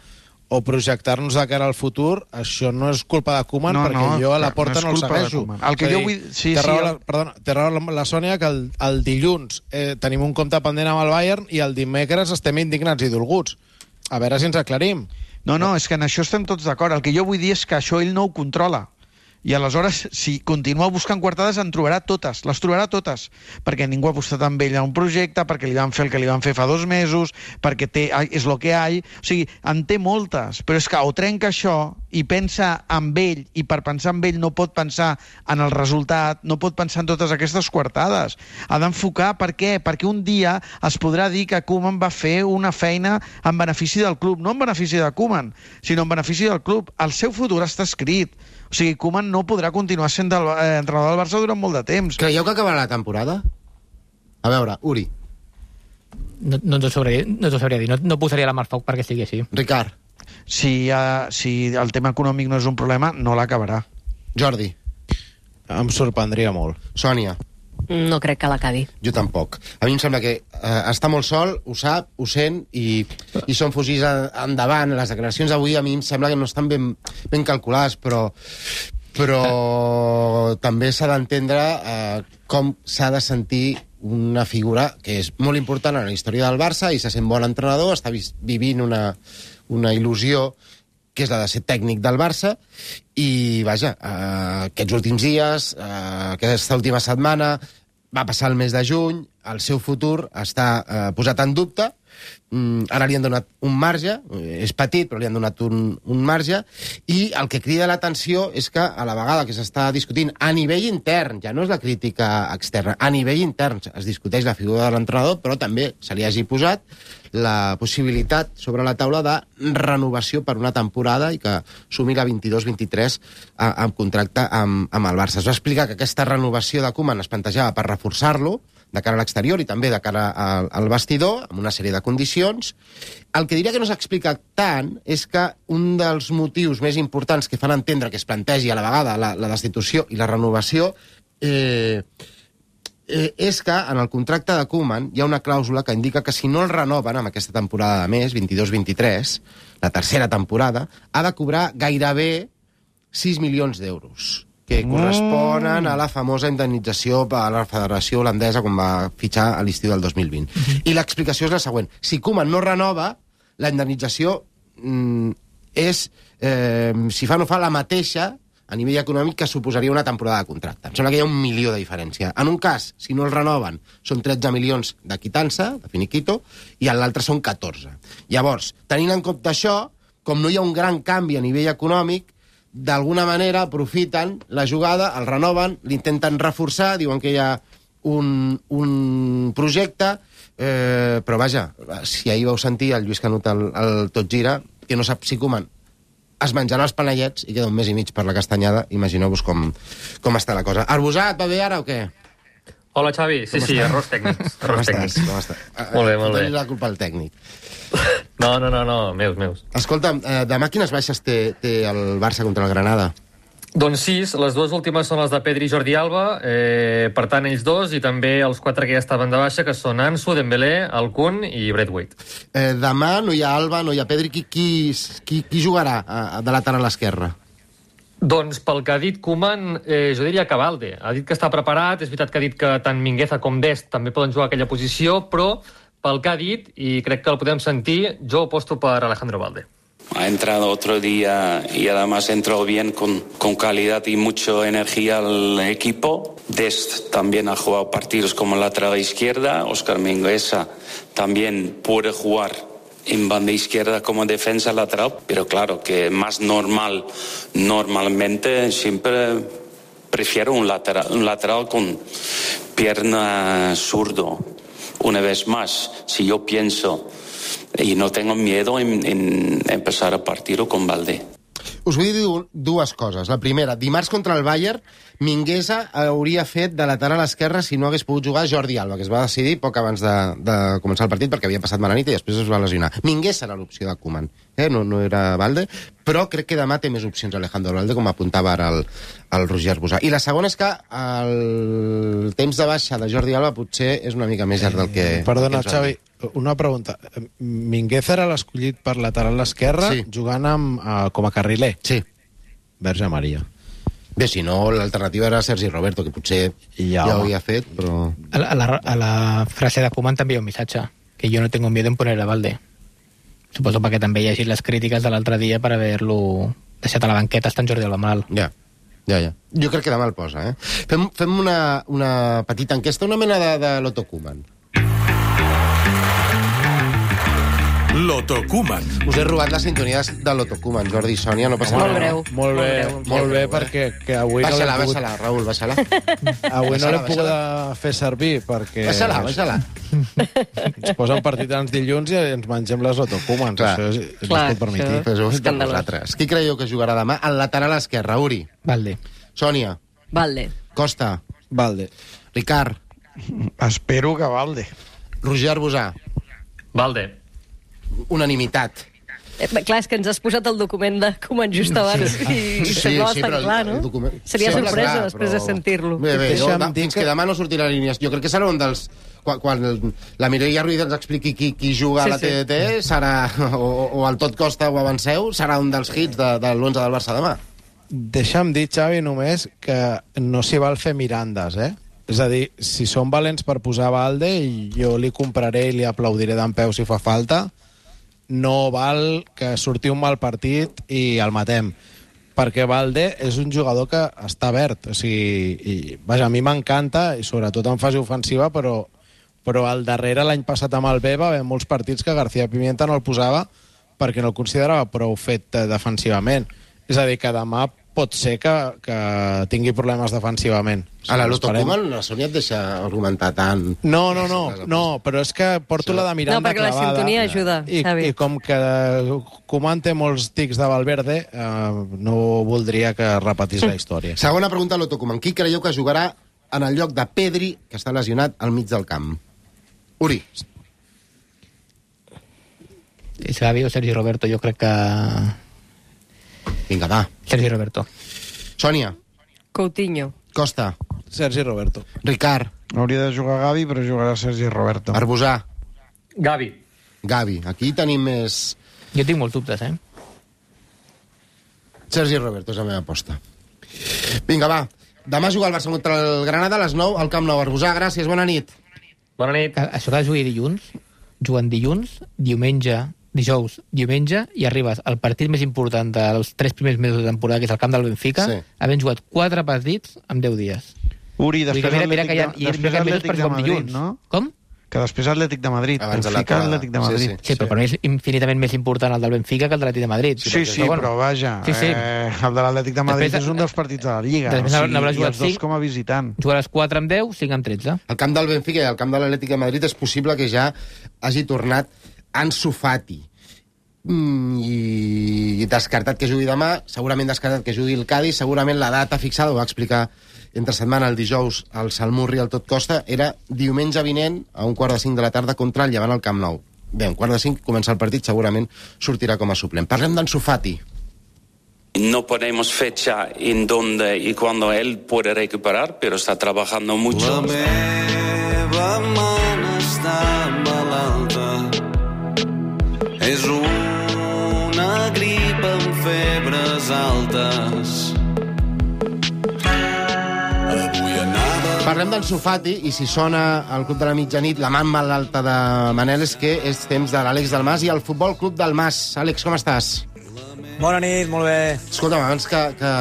o projectar-nos de cara al futur, això no és culpa de Koeman, no, perquè no, jo a la porta no, no el segueixo. El que jo vull... Sí, té raó, sí, la, perdona, té raó la, la Sònia que el, el dilluns eh, tenim un compte pendent amb el Bayern i el dimecres estem indignats i dolguts. A veure si ens aclarim. No, no, és que en això estem tots d'acord. El que jo vull dir és que això ell no ho controla. I aleshores, si continua buscant coartades, en trobarà totes, les trobarà totes, perquè ningú ha apostat amb ell a un projecte, perquè li van fer el que li van fer fa dos mesos, perquè té, és lo que hi ha, o sigui, en té moltes, però és que o trenca això i pensa en ell, i per pensar en ell no pot pensar en el resultat, no pot pensar en totes aquestes coartades. Ha d'enfocar per què? Perquè un dia es podrà dir que Koeman va fer una feina en benefici del club, no en benefici de Koeman, sinó en benefici del club. El seu futur està escrit. O sigui, Koeman no podrà continuar sent del, eh, entrenador del Barça durant molt de temps. Creieu que acabarà la temporada? A veure, Uri. No, no t'ho sabria, no t'ho sabria dir, no, no posaria la mà al foc perquè sigui així. Ricard. Si, uh, si el tema econòmic no és un problema, no l'acabarà. Jordi. Em sorprendria molt. Sònia. No crec que l'acabi. Jo tampoc. A mi em sembla que eh, està molt sol, ho sap, ho sent, i, i són fugits endavant. Les declaracions d'avui a mi em sembla que no estan ben, ben calculades, però, però també s'ha d'entendre eh, com s'ha de sentir una figura que és molt important en la història del Barça i se sent bon entrenador, està vivint una, una il·lusió que és la de ser tècnic del Barça, i, vaja, eh, aquests últims dies, eh, aquesta última setmana, va passar el mes de juny, el seu futur està eh, posat en dubte, mm, ara li han donat un marge, és petit, però li han donat un, un marge, i el que crida l'atenció és que a la vegada que s'està discutint a nivell intern, ja no és la crítica externa, a nivell intern es discuteix la figura de l'entrenador, però també se li hagi posat la possibilitat sobre la taula de renovació per una temporada i que sumi la vint-i-dos vint-i-tres amb contracte amb, amb el Barça. Es va explicar que aquesta renovació de Koeman es plantejava per reforçar-lo de cara a l'exterior i també de cara al, al vestidor, amb una sèrie de condicions. El que diria que no s'explica tant és que un dels motius més importants que fan entendre que es plantegi a la vegada la, la destitució i la renovació eh, eh, és que en el contracte de Koeman hi ha una clàusula que indica que si no el renoven amb aquesta temporada de més, vint-i-dos vint-i-tres, la tercera temporada, ha de cobrar gairebé sis milions d'euros, que corresponen a la famosa indemnització per a la Federació Holandesa quan va fitxar a l'estiu del dos mil vint. Uh-huh. I l'explicació és la següent. Si Koeman no renova, la indemnització mm, és, eh, si fa o no fa, la mateixa a nivell econòmic que suposaria una temporada de contracte. Em sembla que hi ha un milió de diferència. En un cas, si no el renoven, són tretze milions de quitança, de finiquito, i en l'altre són catorze. Llavors, tenint en compte això, com no hi ha un gran canvi a nivell econòmic, d'alguna manera aprofiten la jugada, el renoven, l'intenten reforçar, diuen que hi ha un, un projecte, eh, però vaja, si ahir vau sentir el Lluís Canut al, al Tot Gira, que no sap si Koeman es menjarà els panellets i queda un mes i mig per la castanyada, imagineu-vos com, com està la cosa. Arbusat, va bé ara o què? Hola, Xavi. Sí, sí, errors tècnics. Errors tècnics. Com estàs? Molt bé, molt bé. Doni la culpa al tècnic. No, no, no, no, meus, meus. Escolta, eh, demà quines baixes té, té el Barça contra el Granada? Doncs sis, les dues últimes són les de Pedri i Jordi Alba, eh, per tant ells dos, i també els quatre que ja estaven de baixa, que són Ansu, Dembélé, Alcún i Braithwaite. Eh, demà no hi ha Alba, no hi ha Pedri, qui, qui, qui, qui jugarà a, de lateral a l'esquerra? Doncs pel que ha dit Koeman, eh, jo diria que Valde. Ha dit que està preparat, és veritat que ha dit que tant Mingueza com Dest també poden jugar a aquella posició, però pel que ha dit, i crec que el podem sentir, jo aposto per Alejandro Valde. Ha entrado otro día y además entró bien con, con calidad y mucha energía al equipo. Dest también ha jugado partidos como lateral izquierda. Óscar Mingueza también puede jugar en banda izquierda como defensa lateral, pero claro que más normal, normalmente siempre prefiero un lateral, un lateral con pierna zurdo. Una vez más, si yo pienso y no tengo miedo en, en empezar a partir con Valde. Us vull dir dues coses. La primera, dimarts contra el Bayern, Mingueza hauria fet de lateral esquerra si no hagués pogut jugar Jordi Alba, que es va decidir poc abans de, de començar el partit perquè havia passat mala nit i després es va lesionar. Mingueza era l'opció de Koeman, eh? no, no era Valde, però crec que demà té més opcions Alejandro Valde, com apuntava ara el, el Roger Arbusà. I la segona és que el temps de baixa de Jordi Alba potser és una mica més llarg del que... Eh, perdona, que Xavi, una pregunta. Mingueza era l'escollit per lateral esquerra, sí, jugant amb, uh, com a carriler? Sí. Verge Maria. Bé, si no, l'alternativa era Sergi Roberto, que potser ja, ja ho havia fet, però... A la, a, la, a la frase de Koeman també hi ha un missatge, que jo no tengo miedo en poner a Valde. Suposo perquè també hi hagi les crítiques de l'altre dia per haver-lo deixat a la banqueta estant Jordi Alba mal. Ja. Ja, ja. Jo crec que demà el posa, eh? Fem, fem una, una petita enquesta, una mena de, de Loto Koeman. Loto Koeman. Us he robat la sintonia de Loto Koeman, Jordi i Sònia, no passa Molt res. breu. Molt bé, Molt breu. molt bé, perquè que avui Baixa-la, no l'hem pogut... baixa-la, Raül, baixa-la. Avui no Baixa-la, l'hem pogut baixa-la. fer servir, perquè... Baixa-la, baixa-la. Ens posen partitans dilluns i ens mengem les autocomans. Clar. Això és, és Clar, no es pot permetir. això és de escandalós. vosaltres. Qui creieu que jugarà demà? Al lateral esquerre, Uri. Valde. Sònia. Valde. Costa. Valde. Ricard. Espero que Valde. Roger Arbusà. Valde. Unanimitat. Eh, clar, és que ens has posat el document de Koeman just abans Sí. i, i Sí, semblava sí, bastant però el- clar, el no? document- Seria Sembla sorpresa clar, després però- de sentir-lo. Bé, bé, jo, Deixa'm da, dir fins que- que demà no sortirà l'alineació. Jo crec que serà un dels... Quan, quan la Mireia Ruiz ens expliqui qui, qui juga Sí, a la sí. T D T, serà, o, o el Tot Costa o Avanceu, serà un dels hits de, de l'onze del Barça demà. Deixa'm dir, Xavi, només que no s'hi val fer mirandes, eh? És a dir, si són valents per posar Valde, jo li compraré i li aplaudiré d'en peu si fa falta. No val que surti un mal partit i el matem. Perquè Valde és un jugador que està verd. O sigui, i, vaja, a mi m'encanta, i sobretot en fase ofensiva, però, però al darrere, l'any passat amb el B, va haver molts partits que García Pimienta no el posava perquè no el considerava prou fet eh, defensivament. És a dir, que demà pot ser que, que tingui problemes defensivament. A la Loto Esperem. Koeman la Sònia et deixa argumentar tant... No, no, no, no, però és que porto la de Miranda No, perquè la clavada. sintonia ajuda, I, Xavi. I com que Koeman té molts tics de Valverde, eh, no voldria que repetís la història. Segona pregunta a Loto Koeman. Qui creieu que jugarà en el lloc de Pedri, que està lesionat al mig del camp? Uri. Xavi o Sergi Roberto, jo crec que... Vinga, va. Sergi Roberto. Sònia. Coutinho. Costa. Sergi Roberto. Ricard. Hauria de jugar Gavi, però jugarà Sergi Roberto. Arbusà. Gavi. Gavi. Aquí tenim més... Jo tinc molts dubtes, eh? Sergi Roberto és la meva aposta. Vinga, va. Demà juga el Barça contra el Granada a les nou al Camp Nou. Arbusà, gràcies, bona nit. Bona nit. Això que jugui dilluns, juguen dilluns, diumenge, dijous, diumenge, i arribes al partit més important dels tres primers mesos de temporada, que és el camp del Benfica, Sí. havent jugat quatre partits en deu dies. Uri, Vull dir després que mira, mira Atlètic, que hi ha, de, hi ha, després hi ha mesos Atlètic perquè de som Madrid, dilluns. no? Com? Que després Atlètic de Madrid. Abans de la Benfica, trobada. Atlètic de Sí, Madrid. sí. Sí, però per mi és infinitament més important el del Benfica que el de l'Atlètic de Madrid. Sí, sí, però, bueno. vaja, Sí, sí. Eh, el de l'Atlètic de Madrid Després, és un dels partits de la Lliga. després O sigui, n'haurà i jugat els dos cinc. com a visitant. Jugaràs quatre amb deu, cinc amb tretze. Al camp del Benfica i al camp de l'Atlètic de Madrid és possible que ja hagi tornat Ansu Fati. Mm, i descartat que jugui demà, segurament descartat que jugui el Cádiz, segurament la data fixada, ho va explicar entre setmana el dijous al Salmurri al Tot Costa, era diumenge vinent a un quart de cinc de la tarda contra el Llevant al Camp Nou. Bé, a un quart de cinc comença el partit, segurament sortirà com a suplent. Parlem d'Ansu Fati. No ponemos fecha en dónde y cuándo él puede recuperar, pero está trabajando mucho. La meva man està malalta. És una grip amb febres altes. Avui anava... Parlem d'Ansu Fati, i si sona al Club de la Mitjanit la man malalta de Manel, és que és temps de l'Àlex Dalmas i el Futbol Club del Mas. Àlex, com estàs? Bona nit, molt bé. Escolta'm, abans que, que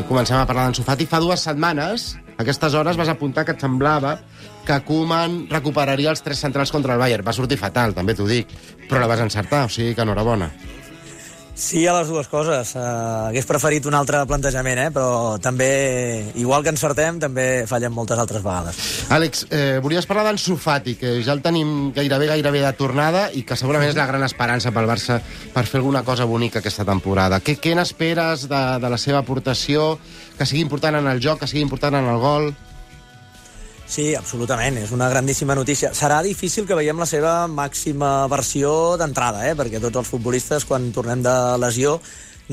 comencem a parlar d'Ansu Fati, fa dues setmanes, a aquestes hores vas apuntar que et semblava que Koeman recuperaria els tres centrals contra el Bayern. Va sortir fatal, també t'ho dic, però la vas encertar, o sigui que enhorabona. Sí a les dues coses. Uh, hagués preferit un altre plantejament, eh? Però també, igual que encertem, també fallem moltes altres vegades. Àlex, eh, volies parlar d'Ansu Fati, que ja el tenim gairebé, gairebé de tornada i que segurament és la gran esperança pel Barça per fer alguna cosa bonica aquesta temporada. Què, què n'esperes de, de la seva aportació? Que sigui important en el joc, que sigui important en el gol? Sí, absolutament, és una grandíssima notícia. Serà difícil que veiem la seva màxima versió d'entrada, eh? Perquè tots els futbolistes, quan tornem de lesió,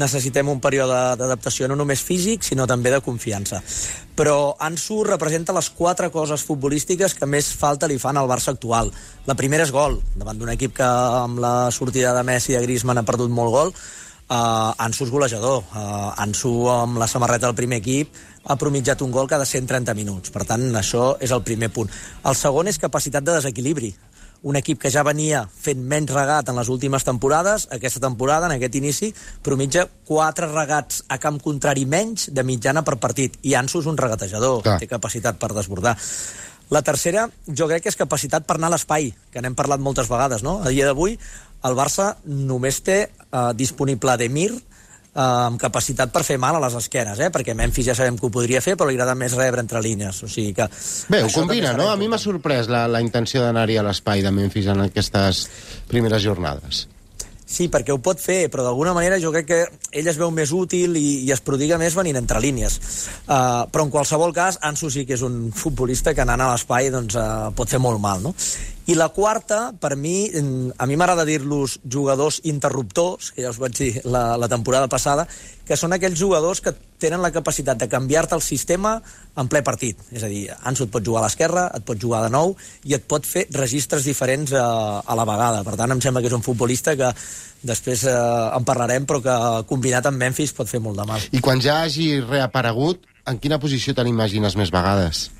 necessitem un període d'adaptació no només físic, sinó també de confiança. Però Ansu representa les quatre coses futbolístiques que més falta li fan al Barça actual. La primera és gol, davant d'un equip que amb la sortida de Messi i de Griezmann ha perdut molt gol. Uh, Ansu és golejador. Uh, Ansu, amb la samarreta del primer equip, ha promitjat un gol cada cent trenta minuts. Per tant, això és el primer punt. El segon és capacitat de desequilibri. un equip que ja venia fent menys regat en les últimes temporades, aquesta temporada, en aquest inici, promitja quatre regats a camp contrari menys de mitjana per partit. I Ansu és un regatejador, Clar. té capacitat per desbordar. La tercera, jo crec que és capacitat per anar a l'espai, que n'hem parlat moltes vegades, no? A dia d'avui, el Barça només té eh, disponible Demir, eh, amb capacitat per fer mal a les esquenes, eh? Perquè Memphis ja sabem que ho podria fer, però li agrada més rebre entre línies. O sigui que... Bé, ho combina, no? A mi m'ha sorprès la, la intenció d'anar-hi a l'espai de Memphis en aquestes primeres jornades. Sí, perquè ho pot fer, però d'alguna manera jo crec que ell es veu més útil i, i es prodiga més venint entre línies. Uh, però en qualsevol cas, Ansu sí que és un futbolista que anant a l'espai doncs, uh, pot fer molt mal, no? I la quarta, per mi, a mi m'agrada dir-los jugadors interruptors, que ja us vaig dir la, la temporada passada, que són aquells jugadors que tenen la capacitat de canviar-te el sistema en ple partit. És a dir, Ansu et pot jugar a l'esquerra, et pot jugar de nou i et pot fer registres diferents a, a la vegada. Per tant, em sembla que és un futbolista que després eh, en parlarem, però que combinat amb Memphis pot fer molt de mal. I quan ja hagi reaparegut, en quina posició te l'imagines més vegades?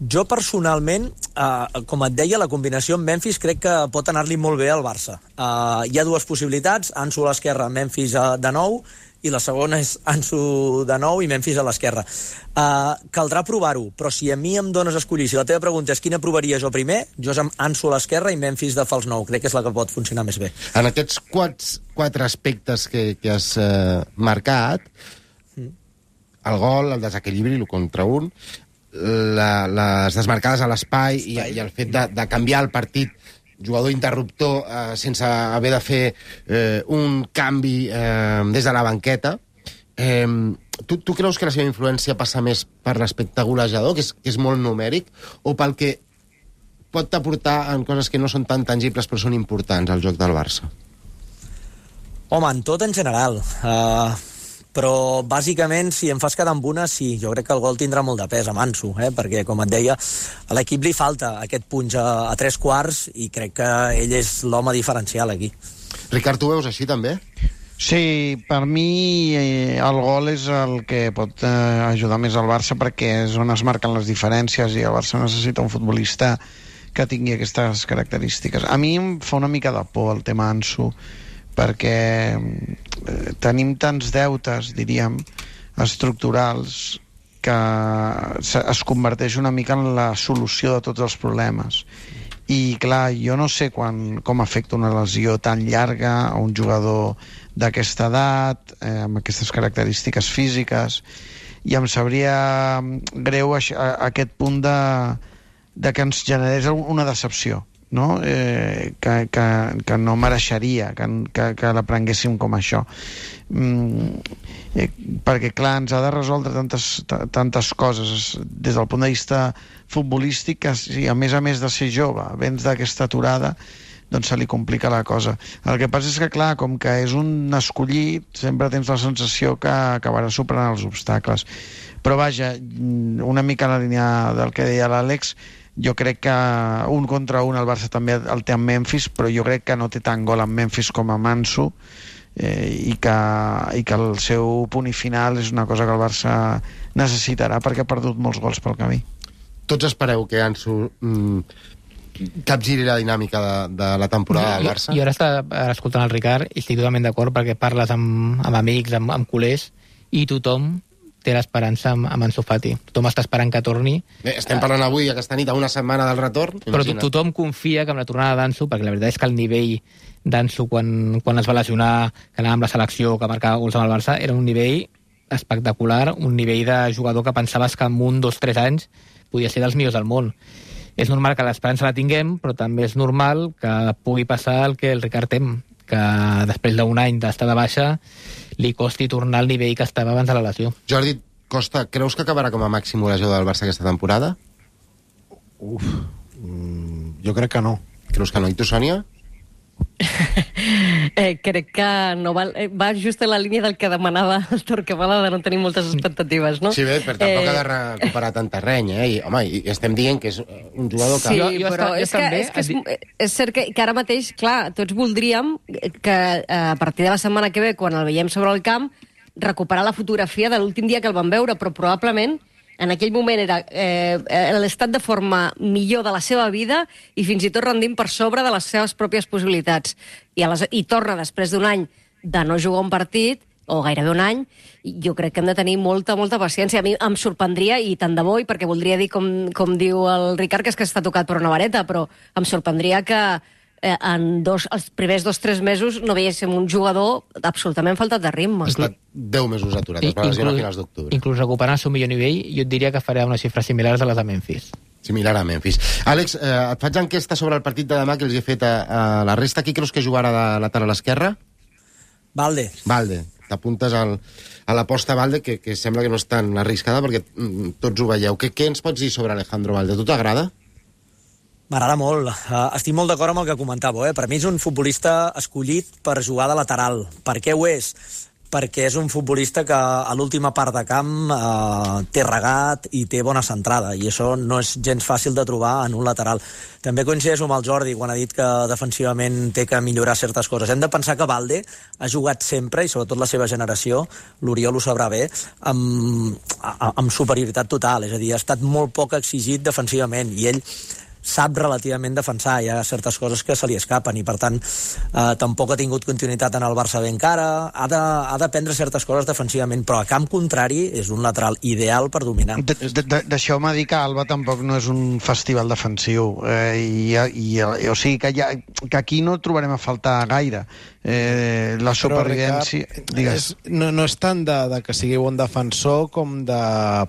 Jo personalment, eh, com et deia, la combinació amb Memphis crec que pot anar-li molt bé al Barça. Eh, hi ha dues possibilitats, Ansu a l'esquerra, Memphis a, de nou, i la segona és Ansu de nou i Memphis a l'esquerra. Eh, caldrà provar-ho, però si a mi em dones a escollir, si la teva pregunta és quina provaria jo primer, jo és amb Ansu a l'esquerra i Memphis de fals nou. Crec que és la que pot funcionar més bé. En aquests quatre, quatre aspectes que, que has eh, marcat, el gol, el desequilibri, el contra un, La, les desmarcades a l'espai i, i el fet de, de canviar el partit, jugador interruptor eh, sense haver de fer eh, un canvi eh, des de la banqueta. Eh, tu, tu creus que la seva influència passa més per l'aspecte golejador, que és, que és molt numèric, o pel que pot aportar en coses que no són tan tangibles però són importants al joc del Barça? Home, en tot en general. Uh... Però, bàsicament, si em fas quedar amb una, sí, jo crec que el gol tindrà molt de pes a Ansu, eh? Perquè, com et deia, a l'equip li falta aquest punx a, a tres quarts i crec que ell és l'home diferencial aquí. Ricard, tu veus així, també? Sí, per mi eh, el gol és el que pot eh, ajudar més al Barça perquè és on es marquen les diferències i el Barça necessita un futbolista que tingui aquestes característiques. A mi em fa una mica de por el tema Ansu, perquè eh, tenim tants deutes, diríem, estructurals, que es converteix una mica en la solució de tots els problemes. I, clar, jo no sé quan, com afecta una lesió tan llarga a un jugador d'aquesta edat, eh, amb aquestes característiques físiques, i em sabria greu a, a aquest punt de, de que ens generés una decepció, no? Eh, que, que, que no mereixeria que, que, que la prenguéssim com això, mm, eh, perquè clar, ens ha de resoldre tantes, tantes coses des del punt de vista futbolístic, que si a més a més de ser jove vens d'aquesta aturada, doncs se li complica la cosa. El que passa és que clar, com que és un escollit, sempre tens la sensació que acabarà superant els obstacles, però vaja, una mica en la línia del que deia l'Àlex, jo crec que un contra un el Barça també el té amb Memphis, però jo crec que no té tant gol amb Memphis com amb Ansu, eh, i, que, i que el seu punt i final és una cosa que el Barça necessitarà perquè ha perdut molts gols pel camí. Tots espereu que Ansu mm, capgiri la dinàmica de, de la temporada del Barça? Jo, jo ara està escoltant el Ricard i estic totalment d'acord perquè parles amb, amb amics, amb, amb culers, i tothom té l'esperança amb, amb Ansu Fati. Tothom està esperant que torni. Bé, estem parlant avui, aquesta nit, a una setmana del retorn. Però imagina't. Tothom confia que amb la tornada d'Ansu, perquè la veritat és que el nivell d'Ansu quan, quan es va lesionar, que anava amb la selecció, que marcava gols amb el Barça, era un nivell espectacular, un nivell de jugador que pensaves que en un, dos, tres anys podia ser dels millors del món. És normal que l'esperança la tinguem, però també és normal que pugui passar el que el Ricard tem, que després d'un any d'estar de baixa li costi tornar al nivell que estava abans de la lesió. Jordi Costa, creus que acabarà com a màxim golejador del Barça aquesta temporada? Uf, mm, jo crec que no. Creus que no? I tu, Sònia? eh, crec que no va, eh, va just en la línia del que demanava el Torquemada, de no tenir moltes expectatives, no? Sí, bé, però tampoc eh... ha de recuperar tant terreny, eh? I, home, i estem dient que és un jugador que... Sí, jo, jo però està, és, que, també... és que és, és cert que, que ara mateix, clar, tots voldríem que a partir de la setmana que ve, quan el veiem sobre el camp, recuperar la fotografia de l'últim dia que el vam veure, però probablement en aquell moment era eh, l'estat de forma millor de la seva vida i fins i tot rendint per sobre de les seves pròpies possibilitats. I, a les, i torna després d'un any de no jugar un partit, o gairebé un any, jo crec que hem de tenir molta, molta paciència. A mi em sorprendria, i tant de bo, i perquè voldria dir, com, com diu el Ricard, que és que està tocat per una vareta, però em sorprendria que eh, en dos, els primers dos o tres mesos no veiéssim un jugador absolutament faltat de ritme. Ha estat deu mesos aturat, es va lesionar a finals d'octubre. Inclús recuperant el seu millor nivell, jo et diria que farà unes xifres similars a les de Memphis. Similar a Memphis. Àlex, eh, et faig enquesta sobre el partit de demà que els he fet a, a la resta. Qui creus que jugarà de lateral esquerra? Valde. Valde. T'apuntes al, a l'aposta Valde, que, que sembla que no és tan arriscada, perquè mm, tots ho veieu. Què, què ens pots dir sobre Alejandro Valde? Tu t'agrada? M'agrada molt. Uh, estic molt d'acord amb el que comentàveu. Eh? Per mi és un futbolista escollit per jugar de lateral. Per què ho és? Perquè és un futbolista que a l'última part de camp eh, té regat i té bona centrada, i això no és gens fàcil de trobar en un lateral. També coincideixo amb el Jordi quan ha dit que defensivament té que millorar certes coses. Hem de pensar que Valde ha jugat sempre, i sobretot la seva generació, l'Oriol ho sabrà bé, amb, amb superioritat total, és a dir, ha estat molt poc exigit defensivament, i ell sap relativament defensar, hi ha certes coses que se li escapen, i per tant eh, tampoc ha tingut continuïtat en el Barça bé encara, ha de, ha de prendre certes coses defensivament, però a camp contrari és un lateral ideal per dominar. De, de, de, Deixeu-me dir que Alba tampoc no és un festival defensiu, eh, i, i, i, o sigui que, ja, que aquí no trobarem a faltar gaire. Eh, la supervivència... Però, Ricard, és, no, no és tant de, de que sigui bon defensor com de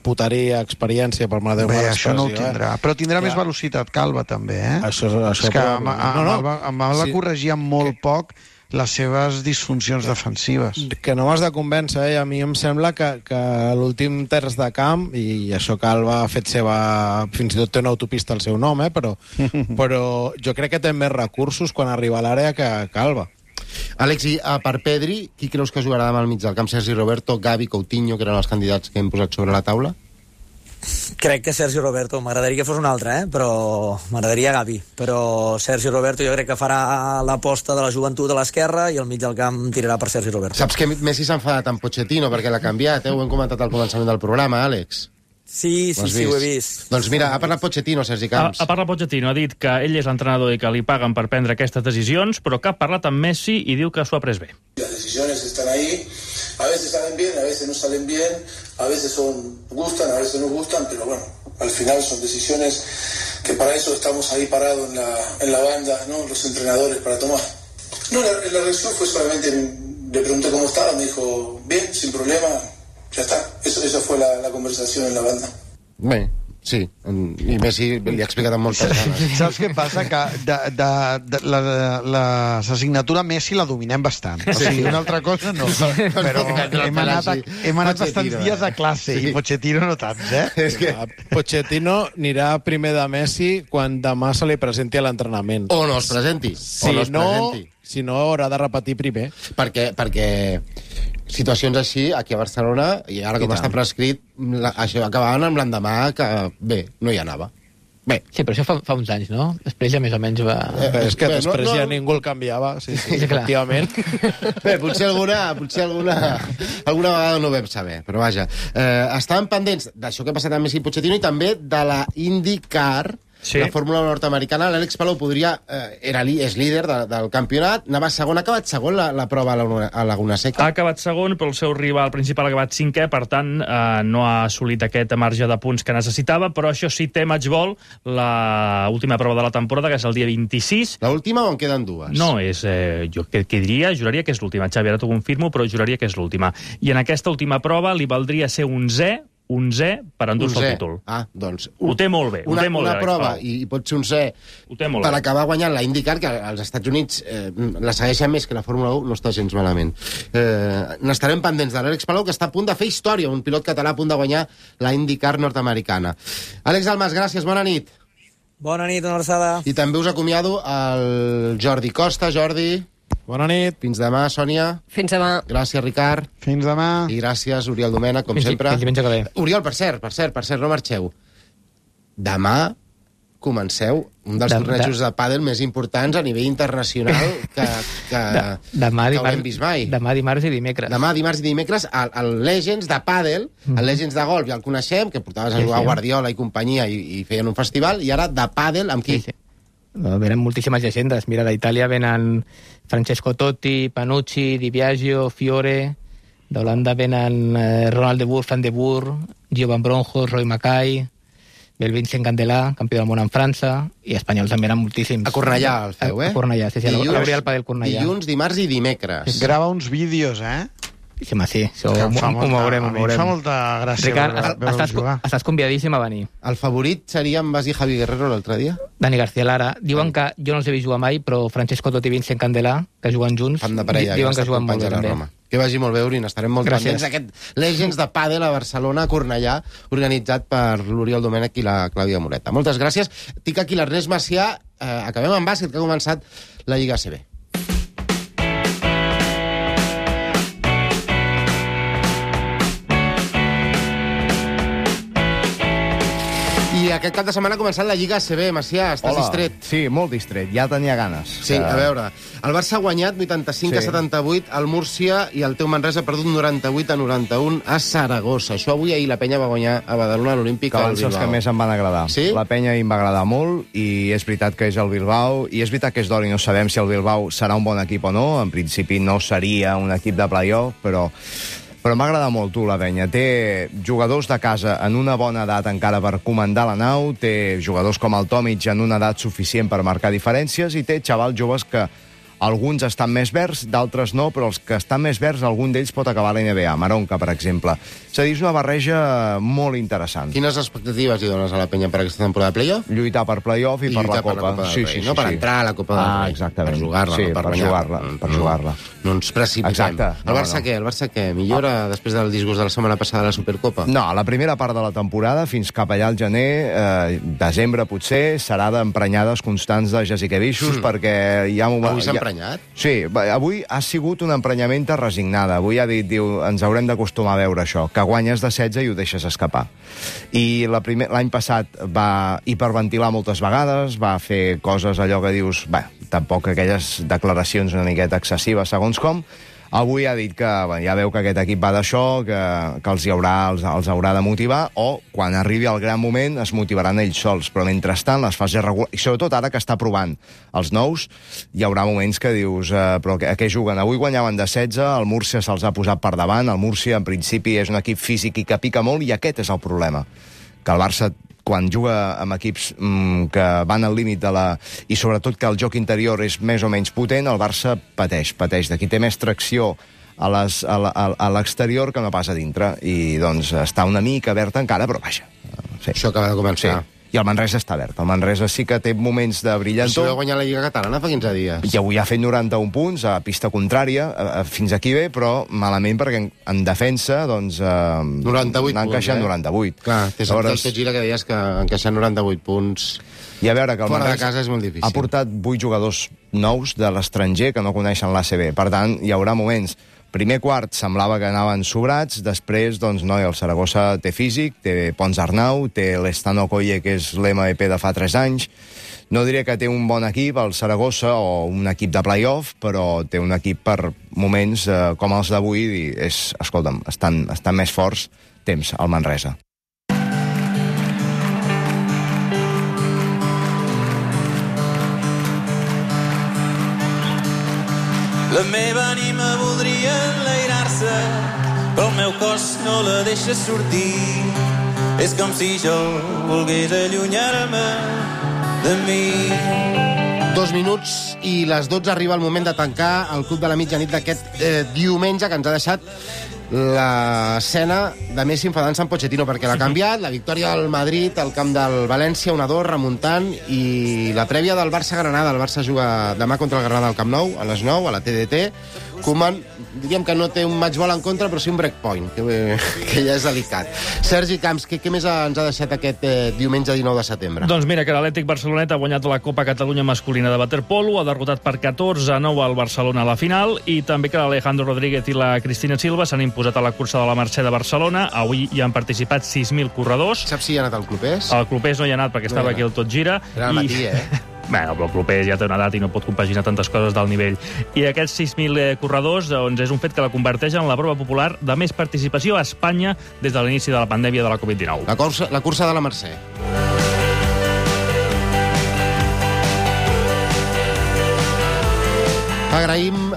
puteria, experiència, per mà de Déu. Bé, això no ho tindrà, eh? però tindrà ja. més velocitat que Alba també, eh? Això, això és que amb, no, amb, no. Alba, amb Alba Sí. corregia molt poc les seves disfuncions defensives. Que no m'has de convèncer, eh? A mi em sembla que, que l'últim terç de camp, i això que Alba ha fet seva... fins i tot té una autopista al seu nom, eh? però, però jo crec que té més recursos quan arriba a l'àrea que, que Alba. Àlex, i uh, per Pedri, qui creus que jugarà demà al mig del camp? Sergi Roberto, Gavi, Coutinho, que eren els candidats que hem posat sobre la taula? Crec que Sergi Roberto, m'agradaria que fos un altre, eh? però m'agradaria Gavi, però Sergi Roberto jo crec que farà l'aposta de la joventut a l'esquerra i al mig del camp tirarà per Sergi Roberto. Saps que Messi s'ha enfadat amb Pochettino perquè l'ha canviat, eh? Ho hem comentat al començament del programa, Àlex. Sí, sí, sí, ho he vist. Doncs mira, ha parlat Pochettino, Sergi Camps. Ha, ha parlat Pochettino, ha dit que ell és l'entrenador i que li paguen per prendre aquestes decisions, però que ha parlat amb Messi i diu que s'ho ha pres bé. Las decisiones están ahí, a veces salen bien, a veces no salen bien, a veces son, gustan, a veces no gustan, pero bueno, al final son decisiones que para eso estamos ahí parados en la, en la banda, ¿no? Los entrenadores para tomar. No, la, la reacción fue solamente, le pregunté cómo estaba, me dijo, bien, sin problema, ya está. Eso, esa fue la, la conversación en la banda. Bé, sí, i Messi li ha explicat amb moltes ganes. Saps què passa? Que de, de, de, la, la assignatura Messi la dominem bastant. O sigui, una altra cosa no. Però hem anat, a, hem anat bastants dies a classe, i Pochettino no tants, eh? És que Pochettino anirà primer de Messi quan demà se li presenti a l'entrenament. O no es presenti. Si o no es no, presenti. Si no, haurà de repetir primer. Perquè, perquè situacions així, aquí a Barcelona, i ara com està prescrit, la, això acabaven amb l'endemà que, bé, no hi anava. Bé. Sí, però això fa, fa uns anys, no? Després ja més o menys va... Eh, és que bé, després no, no... ja ningú el canviava, sí, sí, Sí, clar. efectivament. Bé, potser alguna, potser alguna, alguna vegada no ho vam saber, però vaja. Eh, estàvem pendents d'això que ha passat amb Messi i Pochettino i també de la IndyCar, sí. La fórmula nord-americana. L'Àlex Palou podria, eh, era, és líder de, del campionat, anava segon, ha acabat segon la, la prova a la, a Laguna Seca. Ha acabat segon, però el seu rival principal ha acabat cinquè, per tant, eh, no ha assolit aquest marge de punts que necessitava, però això sí, té matchball, l'última prova de la temporada, que és el dia vint-i-sis. L'última o en queden dues? No, és, eh, jo que, que diria, juraria que és l'última. Xavi, ara t'ho confirmo, però juraria que és l'última. I en aquesta última prova li valdria ser onzè, onzè per endur-se el títol. Ah, doncs... Ho té molt bé. Una, ho té molt una bé, prova, i, i pot ser onzè per bé. acabar guanyant la IndyCar, que als Estats Units eh, la segueixen més que la Fórmula u, no està gens malament. Eh, N'estarem pendents de l'Àlex Palou, que està a punt de fer història, un pilot català a punt de guanyar la IndyCar nord-americana. Àlex Almas, gràcies, bona nit. Bona nit, una abraçada. I també us acomiado el Jordi Costa. Jordi... Bona nit. Fins demà, Sònia. Fins demà. Gràcies, Ricard. Fins demà. I gràcies, Oriol Domènech, com fins, sempre. Fins diumenge que ve. Oriol, per cert, per cert, per cert, no marxeu. Demà comenceu un dels De- tornejos de- de pàdel més importants a nivell internacional que, que, De, demà, que dimarts, haurem vist mai. demà, dimarts i dimecres. Demà, dimarts i dimecres, el, el Legends de pàdel, el Legends de golf ja el coneixem, que portaves a Sí, jugar sí. a Guardiola i companyia i, i feien un festival, i ara de pàdel amb qui? Sí, sí. No, venen moltíssimes llegendes. Mira, d'Itàlia venen Francesco Totti, Panucci, Di Biagio, Fiore. D'Holanda venen eh, Ronald de Boer, Fran de Boer, Gio Van Bronjos, Roy Mackay, el Vincent Candelà, campió del món en França, i espanyols també eren moltíssims. A Cornellà el feu, eh? A Cornellà, sí, sí, a l'Abrial Padel Cornellà. Dilluns, dimarts i dimecres. Grava uns vídeos, eh? Sí, home, sí, això Que ho, em fa ho molta- veurem, a ho mi em veurem. fa molta gràcia Ricard, veure- veure-us estàs, jugar. estàs convidadíssim a venir. El favorit seria en Basi Javi Guerrero l'altre dia? Dani García Lara. Diuen que jo no els he vist jugar mai, però Francesco Totti i Vincent Candelà, que juguen junts, Fan de parella, diuen que que juguen molt bé, també. Roma. Que vagi molt bé, Urin. Estarem molt Gràcies. pendents d'aquest Legends de Pàdel a Barcelona, a Cornellà, organitzat per l'Oriol Domènech i la Clàudia Moreta. Moltes gràcies. Tinc aquí l'Ernest Macià. Eh, acabem amb bàsquet, que ha començat la Lliga A C B. I aquest cap de setmana ha començat la Lliga A C B. Macià, estàs Hola. distret? Sí, molt distret. Ja tenia ganes. Sí, a veure, el Barça ha guanyat vuitanta-cinc a Sí. setanta-vuit al Múrcia i el teu Manresa ha perdut noranta-vuit a noranta-un a Saragossa. Això avui ahir la penya va guanyar a Badalona a l'Olímpic Que al van ser els Bilbao. que més em van agradar. Sí? La penya em va agradar molt i és veritat que és el Bilbao i és veritat que és d'or i no sabem si el Bilbao serà un bon equip o no. En principi no seria un equip de play-off, però però m'agrada molt, tu, la penya. Té jugadors de casa en una bona edat encara per comandar la nau, té jugadors com el Tomic en una edat suficient per marcar diferències i té xavals joves que alguns estan més verds, d'altres no, però els que estan més verds, algun d'ells pot acabar a la N B A. Maronca, per exemple. És a dir, és una barreja molt interessant. Quines expectatives hi dones a la penya per aquesta temporada de playoff? Lluitar per playoff i, I per la lluitar per Copa. la Copa del sí, Rei, sí, no? sí, Per sí. entrar a la Copa del ah, Rei. Exactament. Per jugar-la, sí, no per per guanyar. jugar-la. Per No. jugar-la. No ens precipitem. Exacte. El No, Barça no. què? El Barça què? Millora després del disgust de la setmana passada de la Supercopa? No, la primera part de la temporada, fins cap allà al gener, eh, desembre potser, serà d'emprenyades constants de Jasikevichus, Mm. perquè hi ha... Avui s'ha hi ha- emprenyat? Sí, va, avui ha sigut una emprenyamenta resignada. Avui ha dit, diu, ens haurem d'acostumar a veure això, que guanyes de setze i ho deixes escapar. I la primer- l'any passat va hiperventilar moltes vegades, va fer coses allò que dius, bé, tampoc aquelles declaracions una miqueta excessives segons com. Avui ha dit que bé, ja veu que aquest equip va d'això, que, que els, hi haurà, els, els haurà de motivar, o quan arribi el gran moment es motivaran ells sols. Però mentrestant, les fases regulars, i sobretot ara que està provant els nous, hi haurà moments que dius, eh, però a què juguen? Avui guanyaven de setze, el Múrcia se'ls ha posat per davant, el Múrcia en principi és un equip físic i que pica molt, i aquest és el problema, que el Barça quan juga amb equips mm, que van al límit de la... i sobretot que el joc interior és més o menys potent, el Barça pateix, pateix. D'aquí té més tracció a les- a la- a- a l'exterior que no pas a dintre, i doncs està una mica verd encara, però vaja. Sí. Això acaba de començar. Sí. I el Manresa està verd. El Manresa sí que té moments de Si brillantor. va guanyar la Lliga Catalana fa quinze dies. I avui ha fet noranta-un punts a pista contrària, a, a, fins aquí bé, però malament perquè en, en defensa doncs, eh, noranta-vuit n'ha punts, encaixat eh? noranta-vuit. Clar, té sentit Llavors- el Gira que deies que encaixar noranta-vuit punts I a veure, que el fora de Manresa casa és molt difícil. ha portat vuit jugadors nous de l'estranger que no coneixen l'A C B. Per tant, hi haurà moments. Primer quart semblava que anaven sobrats, després, doncs, no, el Saragossa té físic, té Pons Arnau, té l'Estano Colle, que és l'M V P de fa tres anys. No diré que té un bon equip, el Saragossa, o un equip de play-off, però té un equip per moments eh, com els d'avui, i és, escolta'm, estan, estan més forts temps al Manresa. La meva ànima voldria enlairar-se, però el meu cos no la deixa sortir. És com si jo volgués allunyar-me de mi. Dos minuts i les dotze arriba el moment de tancar el Club de la Mitjanit d'aquest eh, diumenge, que ens ha deixat l'escena de Messi enfadant-se amb Pochettino, perquè l'ha canviat, la victòria del Madrid al camp del València, un a dos, remuntant, i la prèvia del Barça-Granada. El Barça juga demà contra el Granada al Camp Nou, a les nou, a la T D T. Koeman, diríem que no té un match ball en contra, però sí un breakpoint, que, que ja és delicat. Sergi Camps, què, què més ens ha deixat aquest eh, diumenge dinou de setembre? Doncs mira, que l'Atlètic Barcelonet ha guanyat la Copa Catalunya masculina de waterpolo, ha derrotat per catorze a nou al Barcelona a la final, i també que l'Alejandro Rodríguez i la Cristina Silva s'han imposat posat a la cursa de la Mercè de Barcelona. Avui hi han participat sis mil corredors. Saps si hi ha anat el Clopés? El Clopés no hi ha anat perquè No estava hi ha aquí al Tot Gira. Era al matí, eh? Bueno, però el Clopés ja té una edat i no pot compaginar tantes coses d'alt nivell. I aquests sis mil corredors doncs, és un fet que la converteix en la prova popular de més participació a Espanya des de l'inici de la pandèmia de la covid dinou. La cursa, la cursa de la Mercè. Agraïm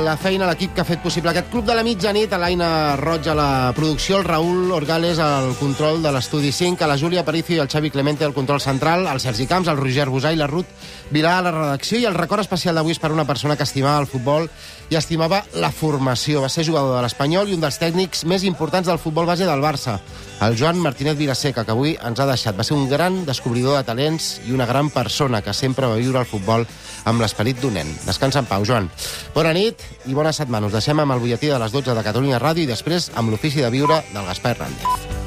la feina a l'equip que ha fet possible aquest Club de la Mitjanit, a l'Aina Roig a la producció, el Raül Orgales al control de l'Estudi cinc, a la Júlia Aparicio i el Xavi Clemente al control central, al Sergi Camps, al Roger Busà i la Ruth Vilà a la redacció, i el record especial d'avui és per una persona que estimava el futbol i estimava la formació. Va ser jugador de l'Espanyol i un dels tècnics més importants del futbol base del Barça, el Joan Martínez Vilaseca, que avui ens ha deixat. Va ser un gran descobridor de talents i una gran persona que sempre va viure el futbol amb l'esperit d'un nen. Descansa en pau, Joan. Bona nit i bona setmana. Us deixem amb el butlletí de les dotze de Catalunya Ràdio i després amb l'Ofici de Viure del Gaspar Hernández.